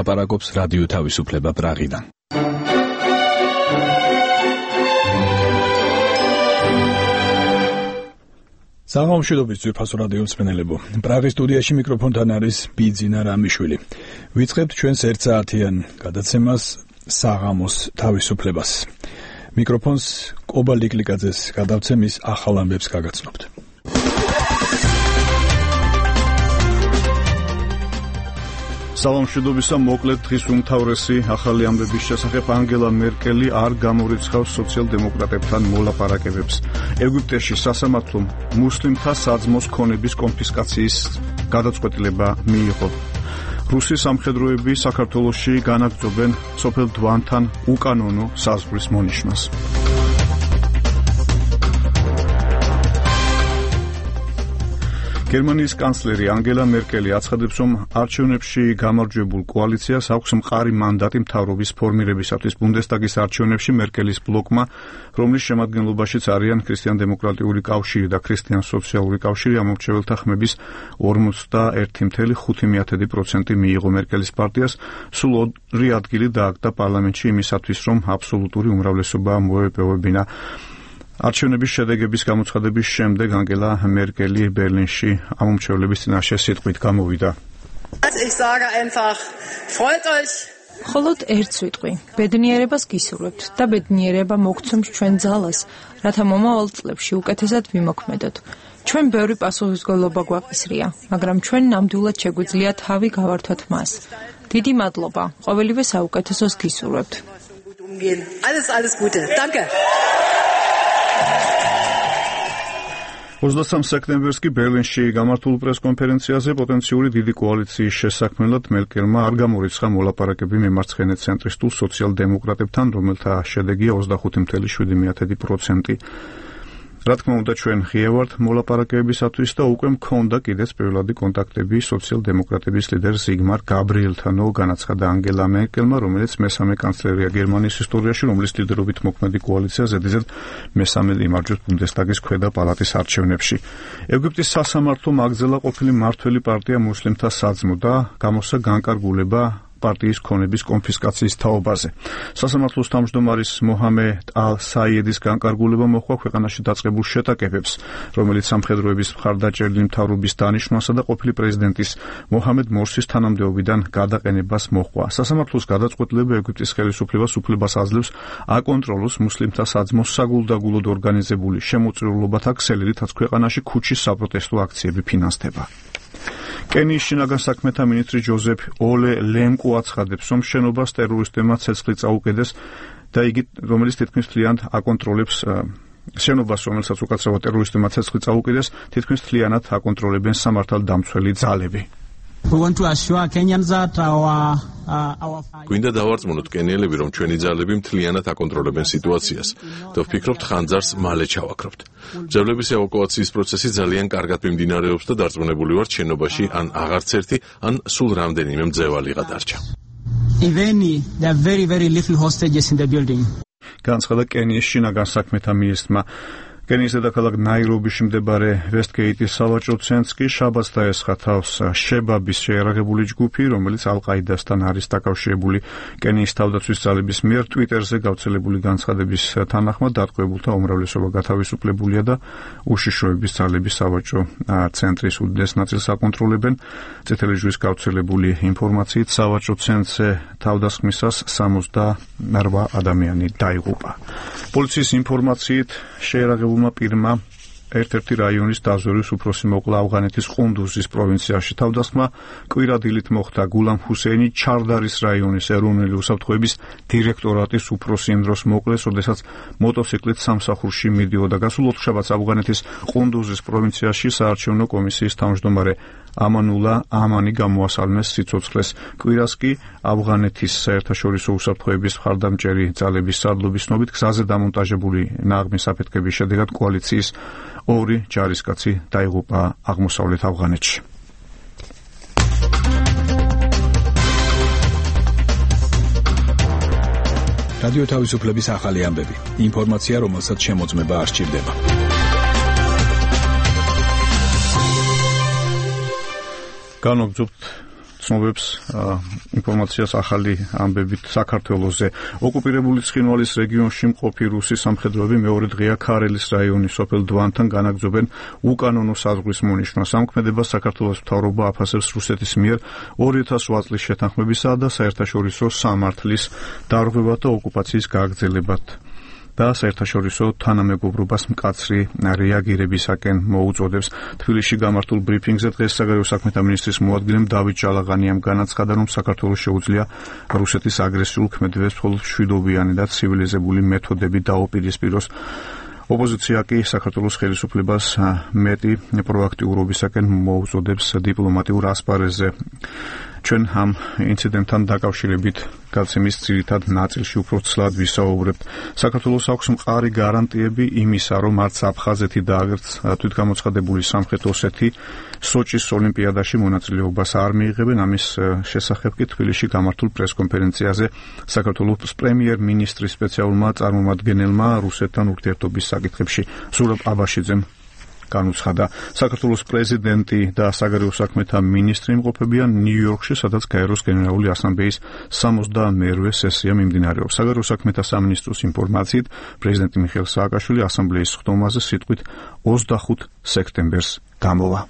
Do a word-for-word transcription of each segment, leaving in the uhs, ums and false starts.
ლაპარაკობს რადიო თავისუფლება პრაღიდან. საღამოშიდობის ძვირფასო რადიო მსმენელებო. პრაღის სტუდიაში მიკროფონთან არის ბიძინა რამიშვილი. ვიწყებთ ჩვენს ერთსაათიან გადაცემას საღამოს თავისუფლებას. მიკროფონს კობა ლიკლიკაძეს გადავცემ, ის ახალ ამბებს გაგაცნობთ. სალამშვიდობისა, მოკლედ დღის უმთავრესი ახალი ამბების შესახებ. ანგელა მერკელი არ გამორიცხავს სოციალ-დემოკრატებთან მოლაპარაკებებს. ეგვიპტეში სასამართლომ მუსლიმთა საძმოს ქონების კონფისკაციის გადაწყვეტილება მიიღო. რუსი სამხედროები საქართველოში განაგრძობენ სოფელ დვანთან უკანონო საზღვრის მონიშნვას. გერმანიის კანცლერი ანგელა მერკელი აცხადებს, რომ არჩევნებში გამარჯვებულ კოალიციას აქვს მყარი მანდატი მთავრობის ფორმირებისათვის. ბუნდესტაგის არჩევნებში მერკელის ბლოკმა, რომლის შემადგენლობაშიც არიან ქრისტიან-დემოკრატიული კავშირი და ქრისტიან-სოციალური კავშირი, ამომრჩეველთა ხმების ორმოცდაერთი კoma ხუთი პროცენტი მიიღო. მერკელის პარტიას სულ ორი ადგილი დააგდა პარლამენტში იმისათვის, რომ აბსოლუტური უმრავლესობა მოეპოვებინა. არჩევნების შედეგების გამოცხადების შემდეგ ანგელა მერკელი ბერლინში ამომრჩევლების წინაშე სიტყვით გამოვიდა. მხოლოდ ერთ სიტყვი, ბედნიერებას გისურვებთ და ბედნიერება მოგცემს ჩვენ ძალას, რათა მომავალ წლებში უკეთესად ვიმოქმედოთ. ჩვენ ბევრი პასუხისმგებლობა გვაყისრია, მაგრამ ჩვენ ნამდვილად შეგვიძლია თავი გავართოთ მას. დიდი მადლობა, ყოველივე საუკეთესოს გისურვებთ. Alles, alles Gute. Danke. ოცდასამ სექტემბერს კი ბერლინში გამართულ პრესკონფერენციაზე პოტენციური დიდი კოალიციის შესაქმნელად მერკელმა არ გამორიცხა მოლაპარაკები მემარცხენე ცენტრისტულ სოციალ-დემოკრატებთან, რომელთა შედეგია ოცდახუთი კoma შვიდი პროცენტი. რა თქმა უნდა, ჩვენ ღია ვართ მოლაპარაკებისათვის და უკვე მქონდა კიდეც პირველადი კონტაქტები სოციალ-დემოკრატების ლიდერ ზიგმარ გაბრიელთან, განაცხადა ანგელა მერკელმა, რომელიც მესამე კანცლერია გერმანიის ისტორიაში, რომლის ლიდერობით მოქმედი კოალიცია ზედიზედ მესამედ იმარჯვებს ბუნდესტაგის ქვედა პალატის არჩევნებში. ეგვიპტის სასამართლომ აგრძელა ყოფილი მმართველი პარტია მუსლიმთა საძმო და გამოსცა განკარგულება პარტიის ქონების კონფისკაციის თაობაზე. სასამართლოს თავმჯდომარის მოჰამედ ალ-საიედის განკარგულება მოჰყვა ქვეყანაში დაწყებულ შეტაკებებს, რომელიც სამხედროების მხარდაჭერილი მთავრობის დანიშვნასა და ყოფილი პრეზიდენტის მოჰამედ მორსის თანამდებობიდან გადაყენებას მოჰყვა. სასამართლოს გადაწყვეტილება ეგვიპტის ხელისუფლებას უფლებას აძლევს აკონტროლოს მუსლიმთა საძმოს საგულდაგულოდ ორგანიზებული შემოწირულობათა ქსელი, რითაც ქვეყანაში ქუჩის საპროტესტო აქციები ფინანსდება. კენიის შინაგან საქმეთა მინისტრი ჯოზეფ ოლე ლემკო აცხადებს, რომ შენობას ტერორისტებმა ცეცხლი წაუკიდეს და იგი, რომელიც თითქმის მთლიანად აკონტროლებს შენობას, რომელსაც უკაცრავად ტერორისტებმა ცეცხლი წაუკიდეს, თითქმის მთლიანად აკონტროლებენ სამართალდამცველი ძალები. გვინდა დავარწმუნოთ კენიელები, რომ ჩვენი ძალები მთლიანად აკონტროლებენ სიტუაციას და ვფიქრობთ, ხანძარს მალე ჩავაქრობთ. მძევლების ევაკუაციის პროცესი ძალიან კარგად მიმდინარეობს და დარწმუნებული ვართ, შენობაში ან აღარც ერთი, ან სულ რამდენიმე მძევალი გადარჩა. განაცხადა კენიის შინაგან საქმეთა მინისტრმა. კენიის დედაქალაქ ნაირობიში მდებარე ვესტგეიტის სავაჭრო ცენტრს კი შაბათს დაესხა თავს შებაბის შეიარაღებული ჯგუფი, რომელიც ალ-ყაიდასთან არის დაკავშირებული. კენიის თავდაცვის ძალების მიერ ტვიტერზე გავრცელებული განცხადების თანახმად დატყვევებულთა უმრავლესობა გათავისუფლებულია და უშიშროების ძალების სავაჭრო ცენტრის უდიდეს ნაწილს აკონტროლებენ. წითელი ჯვრის გავრცელებული ინფორმაციით სავაჭრო ცენტრზე თავდასხმისას სამოცდაორ ადამიანი დაიღუპა. პოლიციის ინფორმაციით შეიარაღებული პირმა ერთ-ერთი რაიონის დაზვერვის უფროსი მოკლა ავღანეთის ყუნდუზის პროვინციაში. თავდასხმა კვირადილით მოხდა გულამ ჰუსეინი ჩარდარის რაიონის ეროვნული უსაფრთხოების დირექტორატის უფროსი იმ დროს მოკლეს, როდესაც მოტოციკლით სამსახურში მიდიოდა. გასულ ოთხშაბათს ავღანეთის ყუნდუზის პროვინციაში საარჩევნო კომისიის თავმჯდომარე ამანულა ამანი გამოასალმეს სიცოცხლეს. კვირას კი ავღანეთის საერთაშორისო უსაფრთხოების მხარდამჭერი ძალების სარდლობის ცნობით გზაზე დამონტაჟებული ნაღმის აფეთქების შედეგად კოალიციის ორი ჯარისკაცი დაიღუპა აღმოსავლეთ ავღანეთში. რადიო თავისუფლების ახალი ამბები. ინფორმაცია, რომელსაც შემოწმება არ სჭირდება. განვაგრძობთ ცნობებს ინფორმაციას ახალი ამბებით საქართველოზე. ოკუპირებული ცხინვალის რეგიონში მყოფი რუსი სამხედროები მეორე დღეა ქარელის რაიონის სოფელ დვანთან განაგრძობენ უკანონო საზღვრის მონიშნვას. ამქმედებას საქართველოს მთავრობა აფასებს რუსეთის მიერ ორი ათას ოთხ წლის შეთანხმებისა და საერთაშორისო სამართლის დარღვევად და ოკუპაციის გაგრძელებად და საერთაშორისო თანამეგობრობას მკაცრი რეაგირებისაკენ მოუწოდებს. თბილისში გამართულ ბრიფინგზე დღეს საგარეო საქმეთა მინისტრის მოადგილემ დავით ჟალაღანიამ განაცხადა, რომ საქართველოს შეუძლია რუსეთის აგრესიულ ქმედებებს მხოლოდ მშვიდობიანი და ცივილიზებული მეთოდებით დაუპირისპიროს. ოპოზიცია კი საქართველოს ხელისუფლებას მეტი პროაქტიურობისაკენ მოუწოდებს დიპლომატიურ ასპარეზზე. ჩვენ ამ ინციდენტთან დაკავშირებით გაცემის ძირითად ნაწილში უფრო ცლად ვისაუბრებთ. საქართველოს აქვს მყარი გარანტიები იმისა, რომ არც აფხაზეთი და აგრეთს თვითგამოცხადებული სამხრეთ ოსეთი სოჭის ოლიმპიადაში მონაწილეობას არ მიიღებენ. ამის შესახებ კი თბილისში გამართულ პრესკონფერენციაზე საქართველოს პრემიერ-მინისტრის სპეციალურმა წარმომადგენელმა რუსეთთან ურთიერთობის საკითხებში ზურაბ აბაშიძემ განუცხადა. საქართველოს პრეზიდენტი და საგარეო საქმეთა მინისტრი იმყოფებიან ნიუ-იორკში, სადაც გაეროს გენერალური ასამბლეის სამოცდამეერთე სესია მიმდინარეობს. საგარეო საქმეთა სამინისტროს ინფორმაციით, პრეზიდენტი მიხეილ სააკაშვილი ასამბლეის ხდომაზე სიტყვით ოცდახუთ სექტემბერს გამოვა.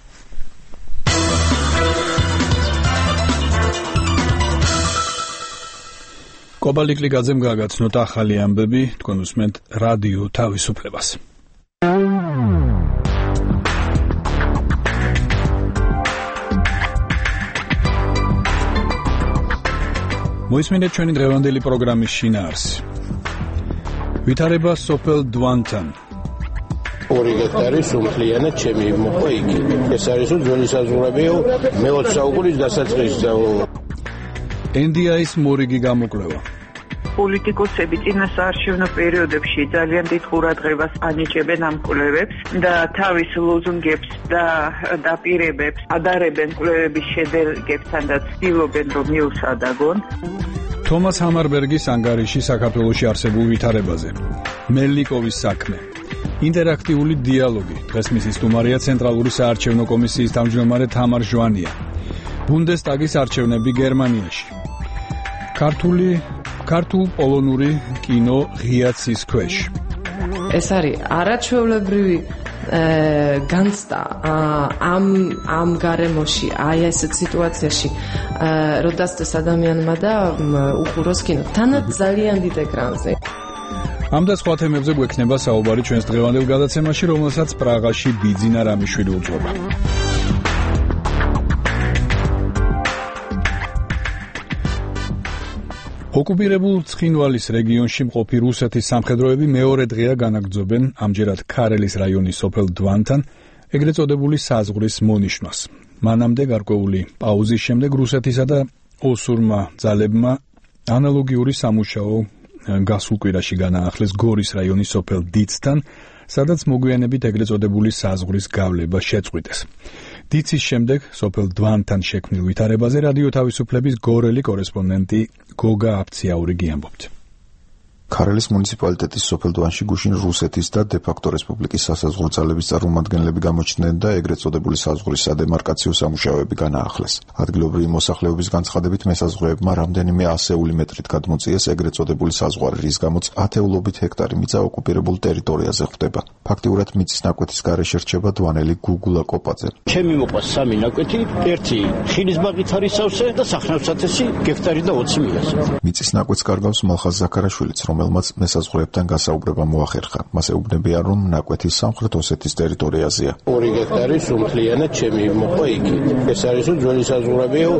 კობალიკლიძემ გაგაცნოთ ახალი ამბები, თქვენ უსმენთ რადიო თავისუფლებას. მოისმინეთ ჩვენი დღევანდელი პროგრამის შინაარსი. ვითარება სოფელ დვანთან. ორი გექტარი სულთლიანად ჩემი მოყვა იგი. ეს არის ძველი საზღვრებიო მეოცე საუკუნის დასაწყისზე. ენ დი აის მორიგი გამოკვლევა. პოლიტიკოსები წინა საარჩევნო პერიოდებში ძალიან დიდ ყურადღებას ანიჭებენ ამ კვლევებს და თავის ლოზუნგებს და დაპირებებს ადარებენ კვლევების შედეგებთან და ცდილობენ რომ მიუსადაგონ. თომას ჰამარბერგის ანგარიში საქართველოში არსებულ ვითარებაზე. მელნიკოვის საქმე. ინტერაქტიული დიალოგი. დღეს მისი სტუმარია ცენტრალური საარჩევნო კომისიის თავმჯდომარე თამარ ჟვანია. ბუნდესტაგის არჩევნები გერმანიაში. ქართული ქართულ პოლონური კინო ღია ცის ქვეშ. ეს არის არაჩვეულებრივი განცდა ამ ამ გარემოში, აი ესეთ სიტუაციაში, რომ დასწრეს ადამიანმა და უყუროს კინო. თანაც ძალიან დიდ ეკრანზე. ამ და სხვა თემებზე გვექნება საუბარი ჩვენს დღევანდელ გადაცემაში, რომელსაც პრაღაში ბიძინა რამიშვილი უძღვება. ოკუპირებულ ცხინვალის რეგიონში მყოფი რუსეთის სამხედროები მეორე დღეა განაგრძობენ ამჯერად ქარელის რაიონის სოფელ დვანთან ეგრეთ წოდებული საზღვრის მონიშნვას. მანამდე გარკვეული პაუზის შემდეგ რუსეთისა და ოსურმა ძალებმა ანალოგიური სამუშაო გასულ კვირაში განაახლეს გორის რაიონის სოფელ დიცთან, სადაც მოგვიანებით ეგრეთ წოდებული საზღვრის გავლება შეწყვიტეს. დიცის შემდეგ სოფელ დვანთან შექმნილ ვითარებაზე რადიო თავისუფლების გორელი კორესპონდენტი გოგა აფციაურიგი ამბობთ. ქარელის მუნიციპალიტეტის სოფელ დვანში გუშინ რუსეთის და დე-ფაქტო რესპუბლიკის სასაზღვრო ძალების წარმომადგენლები გამოჩნდნენ და ეგრეთ წოდებული საზღვრის სადემარკაციო სამუშაოები განაახლეს. ადგილობრივი მოსახლეობის განცხადებით მესაზღვრეებმა რამდენიმე ასეული მეტრით გადმოწიეს ეგრეთ წოდებული საზღვარი, რის გამოც ათეულობით ჰექტარი მიწა ოკუპირებულ ტერიტორიაზე ხვდება. ფაქტიურად მიწის ნაკვეთის გარეშე რჩება დვანელი გუგულა კოპაძე. ჩემი მოყვა სამი ნაკვეთი, ერთი ხილის ბაღით არის სავსე და სახნავსათესი გექტარი და ოცი მიასე. მიწის ნაკვეთს კარგავს მალხაზ ზაქარაშვილიც, რომელმაც მესაზღვრეებთან გასაუბრება მოახერხა. მას ეუბნებიან, რომ ნაკვეთი სამხრეთ ოსეთის ტერიტორიაზეა. ორი გექტარი სულთლიანად ჩემი მოყვა იგი. ეს არის ძველი საზღვრებიო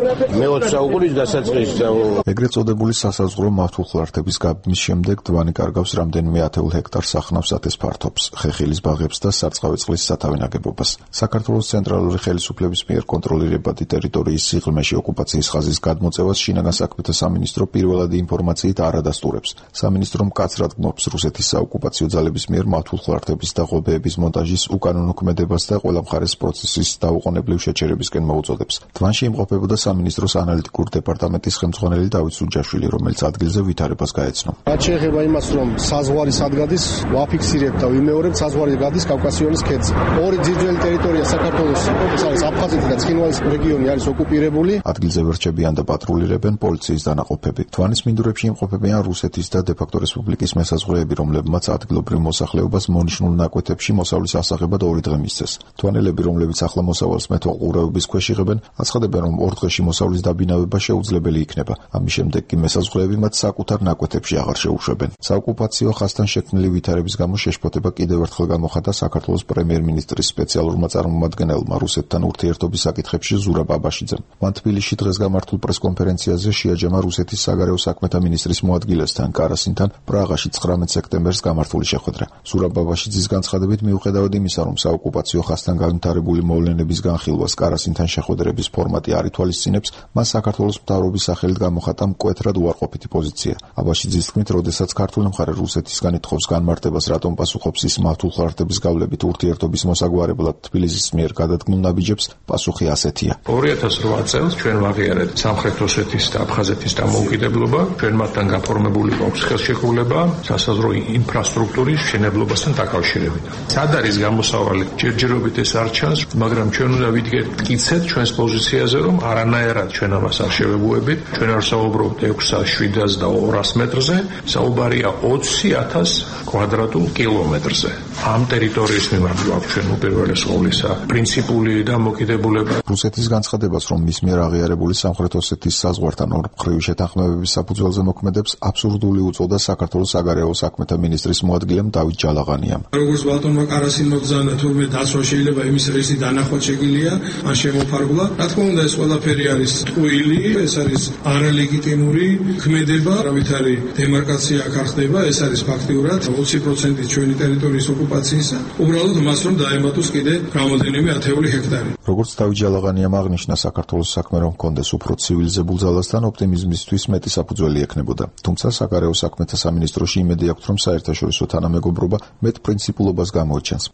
მეოცე საუკუნის დასაწყისზე. ეგრეთ წოდებული სასაზღვრო მართულხლართების გაბმის შემდეგ დვანი კარგავს რამდენიმე ათეულ ჰექტარს სახნავსათეს ფართობს, ხეხილის ბაღებს და სარწყავი წყლის სათავე ნაგებობას. საქართველოს ცენტრალური ხელისუფლების მიერ კონტროლირებადი ტერიტორიის სიღრმეში ოკუპაციის ხაზის გადმოწევას შინაგან საქმეთა სამინისტრო პირველადი ინფორმაციით არ ადასტურებს. სამინისტრო სამინისტრო მკაცრად გმობს რუსეთის საოკუპაციო ძალების მიერ მართულ ხლარტების და ღობეების მონტაჟის უკანონო ქმედებას და ყველა მხარეს პროცესის დაუყოვნებლივ შეჩერებისკენ მოუწოდებს. თვანში იმყოფებოდა სამინისტროს ანალიტიკური დეპარტამენტის ხელმძღვანელი დავით სუჯაშვილი, რომელიც ადგილზე ვითარებას გაეცნო. რაც შეეხება იმას, რომ საზღვარი სად გადის, ვაფიქსირებთ და ვიმეორებთ, საზღვარი გადის კავკასიონის ქედზე. ორი ძირძველი ტერიტორია საქართველოს, ეს არის აფხაზეთი და ცხინვალის რეგიონი არის ოკუპირებული. ადგილზე ვერჩებიან და პატრულირებენ პოლიციის დანაყოფები. თვანის მინდვრებში იმყოფებიან რუსეთის და დე-ფაქტო რესპუბლიკის მესაზღვრეები, რომლებმაც ადგილობრივ მოსახლეობას მონიშნულ ნაკვეთებში მოსავლის ასაღებად ორი დღე მისცეს. თვანელები, რომლებიც ახლა მოსავალს მეთვალყურეობის ქვეშ იღებენ, აცხადებენ, რომ ორ დღეში მოსავლის დაბინავება შეუძლებელი იქნება. ამის შემდეგ კი მესაზღვრეები მათ საკუთარ ნაკვეთებში აღარ შეუშვებენ. საოკუპაციო ხაზთან შექმნილი ვითარების გამო შეშფოთება კიდევ ერთხელ გამოხატა საქართველოს პრემიერ-მინისტრის სპეციალურმა წარმომადგენელმა რუსეთთან ურთიერთობის საკითხებში ზურაბ აბაშიძემ. მან თბილისში დღეს გამართულ პრესკონფერენციაზე შეაჯამა რუსეთის საგარეო საქმეთა მინისტრის მოადგილესთან კარასინთან პრაღაში ცხრამეტ სექტემბერს გამართული შეხვედრა. ზურაბ აბაშიძის განცხადებით, მიუხედავად იმისა, რომ საოკუპაციო ხაზთან განვითარებული მოვლენების განხილვას კარასინთან შეხვედრების ფორმატი არ ითვალისწინებს, მას საქართველოს მთავრობის სახელით გამოხატა მკვეთრად უარყოფითი პოზიცია. აბაშიძის თქმით, როდესაც ქართული მხარე რუსეთისგან ითხოვს განმარტებას, რატომ პასუხობს ის მართულ ხლარტების გავლებით ურთიერთობის მოსაგვარებლად თბილისის მიერ გადადგმულ ნაბიჯებს, პასუხი ასეთია. ორი ათას რვა წელს ჩვენ ვაღიარეთ სამხრეთ ოსეთის და აფხაზეთის დამოუკიდებლობა, ჩვენ მათთან გაფორმებული გვაქვს ხელშეკრულება სასაზღვრო ინფრასტრუქტურის მშენებლობასთან დაკავშირებით. სად არის გამოსავალი? ჯერჯერობით ეს არ ჩანს, მაგრამ ჩვენ უნდა ვიდგეთ მტკიცედ ჩვენს პოზიციაზე, რომ არანაირად ჩვენ ამას არ შევებუებით. ჩვენ არ საუბრობთ ექვსას, შვიდას და ორას მეტრზე, საუბარია ოცი ათას კვადრატულ კილომეტრზე. ამ ტერიტორიის მიმართ გვაქვს ჩვენ უპირველეს ყოვლისა პრინციპული დამოკიდებულება. რუსეთის განცხადებას, რომ მის მიერ აღიარებული სამხრეთ ოსეთის საზღვართან ორმხრივი შეთანხმებების საფუძველზე მოქმედებს, აბსურდული უწოდა საქართველოს საგარეო საქმეთა მინისტრის მოადგილემ დავით ჯალაღანიამ. როგორც ბატონმა კარასინმა ბრძანა, თურმე დაცვა შეიძლება იმის რისი დანახვა შეგიძლია, ან შემოფარგლა. რა თქმა უნდა, ეს ყველაფერი არის ტყუილი, ეს არის არალეგიტიმური ქმედება, ამით არის დემარკაცია აქ არ ხდება, ეს არის ფაქტიურად ოცი პროცენტი ჩვენი ტერიტორიის ოკუპაციისა. უბრალოდ მას რომ დაემატოს კიდე რამოდენიმე ათეული ჰექტარი. როგორც დავით ჯალაღანიამ აღნიშნა, საქართველოს საქმე რომ ჰქონდეს უფრო ცივილიზებულ ძალასთან ოპტიმიზმისთვის მეტი საფუძველი ექნებოდა. თუმცა საგარეო საქმეთა სამინისტროში იმედი აქვს, რომ საერთაშორისო თანამეგობრობა მეტ პრინციპულობას გამოიჩენს.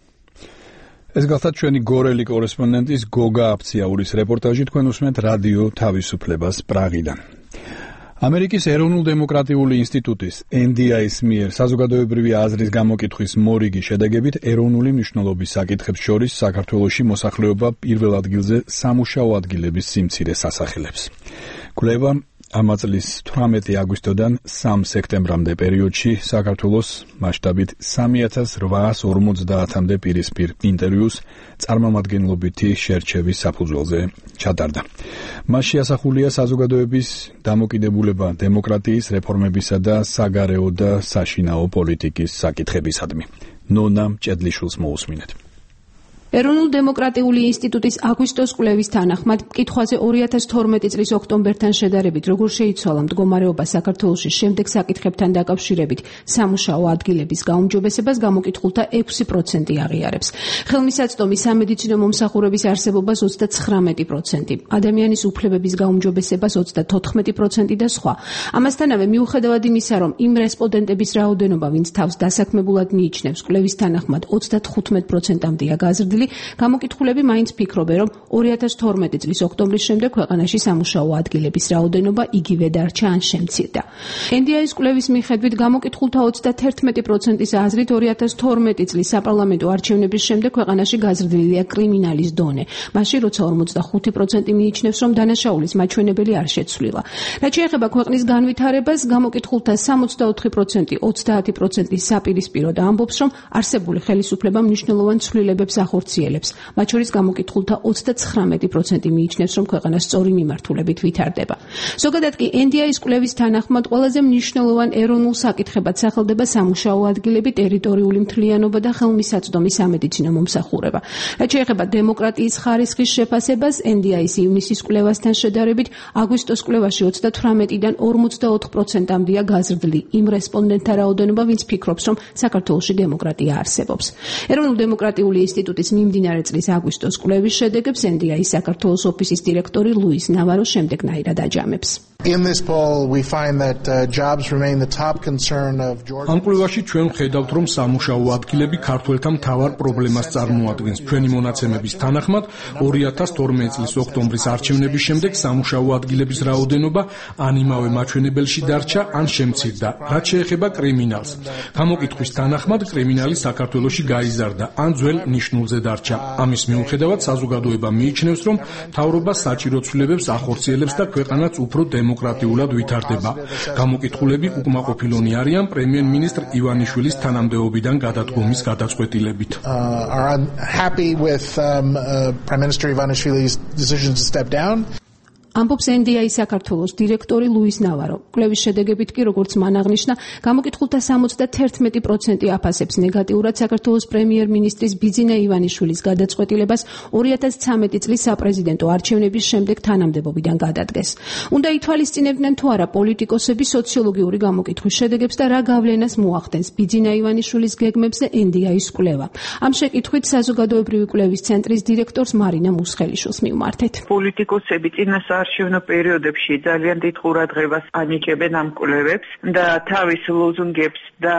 ეს გახდა ჩვენი გორელი კორესპონდენტის გოგა აფციაურის რეპორტაჟი. თქვენ უსმენთ რადიო თავისუფლებას პრაღიდან. ამერიკის ეროვნულ-დემოკრატიული ინსტიტუტის ენ დი აის მიერ საზოგადოებრივი აზრის გამოკითხვის მორიგი შედეგებით ეროვნული მნიშვნელობის საკითხებს შორის საქართველოში მოსახლეობა პირველ ადგილზე სამუშაო ადგილების სიმცირეს ასახელებს. კვლევა ამ წლის თვრამეტი აგვისტოდან სამი სექტემბრამდე პერიოდში საქართველოს მასშტაბით სამი ათას რვაას ორმოცდაათამდე პირისპირ ინტერვიუს წარმომადგენლობითი შერჩევის საფუძველზე ჩატარდა. მასში ასახულია საზოგადოების დამოკიდებულება დემოკრატიის, რეფორმებისა და საგარეო და საშინაო პოლიტიკის საკითხებისადმი. ნონა მჭედლიშვილს მოусმინეთ. ეროვნულ-დემოკრატიული ინსტიტუტის აგვისტოს კვლევის თანახმად, მკითხვაზე ორი ათას თორმეტი წლის ოქტომბერთან შედარებით, როგორ შეიცვალა მდგომარეობა საქართველოში შემდეგ საკითხებთან დაკავშირებით სამუშაო ადგილების გაუმჯობესებას, გამოკითხულთა ექვსი პროცენტი აღიარებს. ხელმისაწვდომი სამედიცინო მომსახურების არსებობას ოცდაცხრამეტი პროცენტი, ადამიანის უფლებების გაუმჯობესებას ოცდათოთხმეტი პროცენტი და სხვა. ამასთანავე, მიუხედავად იმისა, რომ იმ რესპონდენტების რაოდენობა, ვინც თავს დასაქმებულად მიიჩნევს, კვლევის თანახმად ოცდათხუთმეტ პროცენტამდეა გაზრდილი, გამოკითხულები მაინც ფიქრობენ, რომ ორი ათას თორმეტი წლის ოქტომბრის შემდეგ ქვეყანაში სამუშაო ადგილების რაოდენობა იგივე დარჩა ან შემცირდა. ენ დი აის კვლევის მიხედვით გამოკითხულთა ოცდაათერთმეტი პროცენტის აზრით ორი ათას თორმეტი წლის საპარლამენტო არჩევნების შემდეგ ქვეყანაში გაზრდილია კრიმინალის დონე, მაშინ როცა ორმოცდახუთი პროცენტი მიიჩნევს, რომ დანაშაულის მაჩვენებელი არ შეცვლილა. რაც შეეხება ქვეყნის განვითარებას, გამოკითხულთა სამოცდაოთხი პროცენტი ოცდაათი პროცენტის საპირისპირო და ამბობს, რომ არსებული ხელისუფლება მნიშვნელოვან ცვლილებებს ახორციელებს. მათ შორის გამოკითხულთა ოცდაცხრამეტი პროცენტი მიიჩნევს, რომ ქვეყანა სწორი მიმართულებით ვითარდება. ზოგადად კი ენ დი აის კვლევის თანახმად ყველაზე მნიშვნელოვან ეროვნულ საკითხებად სახელდება სამუშაო ადგილები, ტერიტორიული მთლიანობა და ხელმისაწვდომი სამედიცინო მომსახურება. რაც შეეხება დემოკრატიის ხარისხის შეფასებას, ენ დი აის ივნისის კვლევასთან შედარებით, აგვისტოს კვლევაში ოცდათვრამეტიდან ორმოცდაოთხ პროცენტამდეა გაზრდილი იმ რესპონდენტთა რაოდენობა, ვინც ფიქრობს, რომ საქართველოში დემოკრატია არსებობს. ეროვნულ-დემოკრატიული ინსტიტუტის მიმდინარე წლის აგვისტოს კვლევის შედეგებს ენ დი აის საქართველოს ოფისის დირექტორი ლუის ნავარო შემდეგნაირად აჯამებს. In this poll we find that uh, jobs remain the top concern of Georgia. ამ კვლევაში ჩვენ ვხედავთ, რომ სამუშაო ადგილები ქართველთა მთავარ პრობლემას წარმოადგენს. ჩვენი მონაცემების თანახმად, ორი ათას თორმეტი წლის ოქტომბრის არჩევნების შემდეგ სამუშაო ადგილების რაოდენობა ან იმავე მაჩვენებელში დარჩა, ან შემცირდა, რაც შეეხება კრიმინალს. გამოკითხვის თანახმად, კრიმინალი საქართველოში გაიზარდა, ან ძველ ნიშნულზე დარჩა. ამის მიუხედავად, საზოგადოება მიიჩნევს, რომ მთავრობა საჭირო ცვლილებებს ახორციელებს და ქვეყანაც უფრო დემოკრატიულად ვითარდება. გამოკითხულები უკმაყოფილონი არიან პრემიერ-მინისტრ ივანიშვილის თანამდებობიდან გადადგომის გადაწყვეტილებით. Are unhappy with um, uh, Prime Minister Ivanishvili's decision to step down. ამბობს ენ დი აი საქართველოს დირექტორი ლუის ნავარო. კვლევის შედეგებით კი, როგორც მან აღნიშნა, გამოკითხულთა სამოცდაერთი პროცენტი აფასებს ნეგატიურად საქართველოს პრემიერ-მინისტრის ბიძინა ივანიშვილის გადაწყვეტილებას ორი ათას ცხრამეტი წლის საპრეზიდენტო არჩევნების შემდეგ თანამდებობიდან გადადგეს. უნდა ითვალისწინებდნენ თუ არა პოლიტიკოსები სოციოლოგიური გამოკითხვის შედეგებს და რა გავლენას მოახდენს ბიძინა ივანიშვილის გეგმებზე ენ დი აის კვლევა. ამ შეკითხვით საზოგადოებრივი კვლევის ცენტრის დირექტორს მარინა მუსხელიშვილს მივმართეთ. პოლიტიკოსები წინას არჩევნო პერიოდებში ძალიან დიდ ყურადღებას ანიჭებენ ამ კვლევებს და თავის ლოზუნგებს და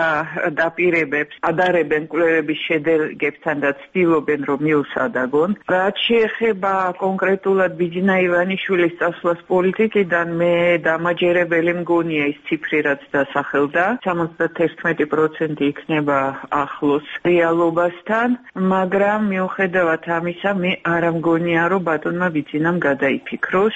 დაპირებებს ადარებენ კვლევების შედეგებთან და ცდილობენ რომ მიუსადაგონ. რაც შეეხება კონკრეტულად ბიძინა ივანიშვილის წასვლას პოლიტიკიდან, მე დამაჯერებელი მგონია ის ციფრი, რაც დასახელდა. სამოცდაერთი პროცენტი იქნება ახლოს რეალობასთან, მაგრამ მიუხედავად ამისა, მე არ მგონია რომ ბატონმა ბიძინამ გადაიფიქროს.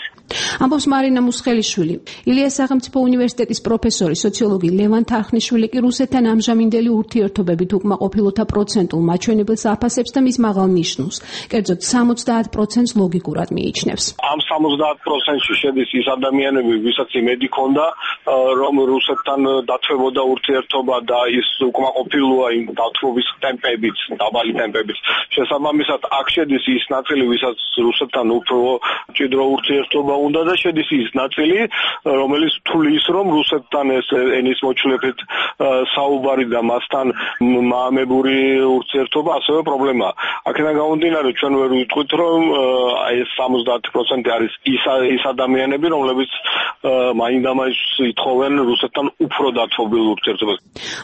ამბობს მარინა მუსხელიშვილი. ილიას სახელმწიფო უნივერსიტეტის პროფესორი, სოციოლოგი ლევან თარხნიშვილი კი რუსეთთან ამჟამინდელი ურთიერთობებით უკმაყოფილოთა პროცენტულ მაჩვენებელს აფასებს და მის მაღალ ნიშნულს. კერძოდ სამოცდაათ პროცენტს ლოგიკურად მიიჩნევს. ამ სამოცდაათ პროცენტში შედის ის ადამიანები, ვისაც იმედი ჰქონდა, რომ რუსეთთან დათვებოდა ურთიერთობა და ის უკმაყოფილოა იმ დათვობის ტემპებით, დაბალი ტემპებით. შესაბამისად, აქ შედის ის ნაწილი, ვისაც რუსეთთან უფრო მჭიდრო ურთიერთობა უნდა და შედის ის ნაწილი, რომელიც თulis რომ რუსეთთან ეს ენის მოჩვლებით საუბარი და მასთან მაამებური ურთიერთობა ასევე პრობლემაა. აქედან გამომდინარე, ჩვენ ვერ ვიტყვით, რომ ეს სამოცდაათი პროცენტი არის ის ის ადამიანები, რომლებიც მაინდამაინც ითხოვენ რუსეთთან უფრო დათვობილ ურთიერთობას.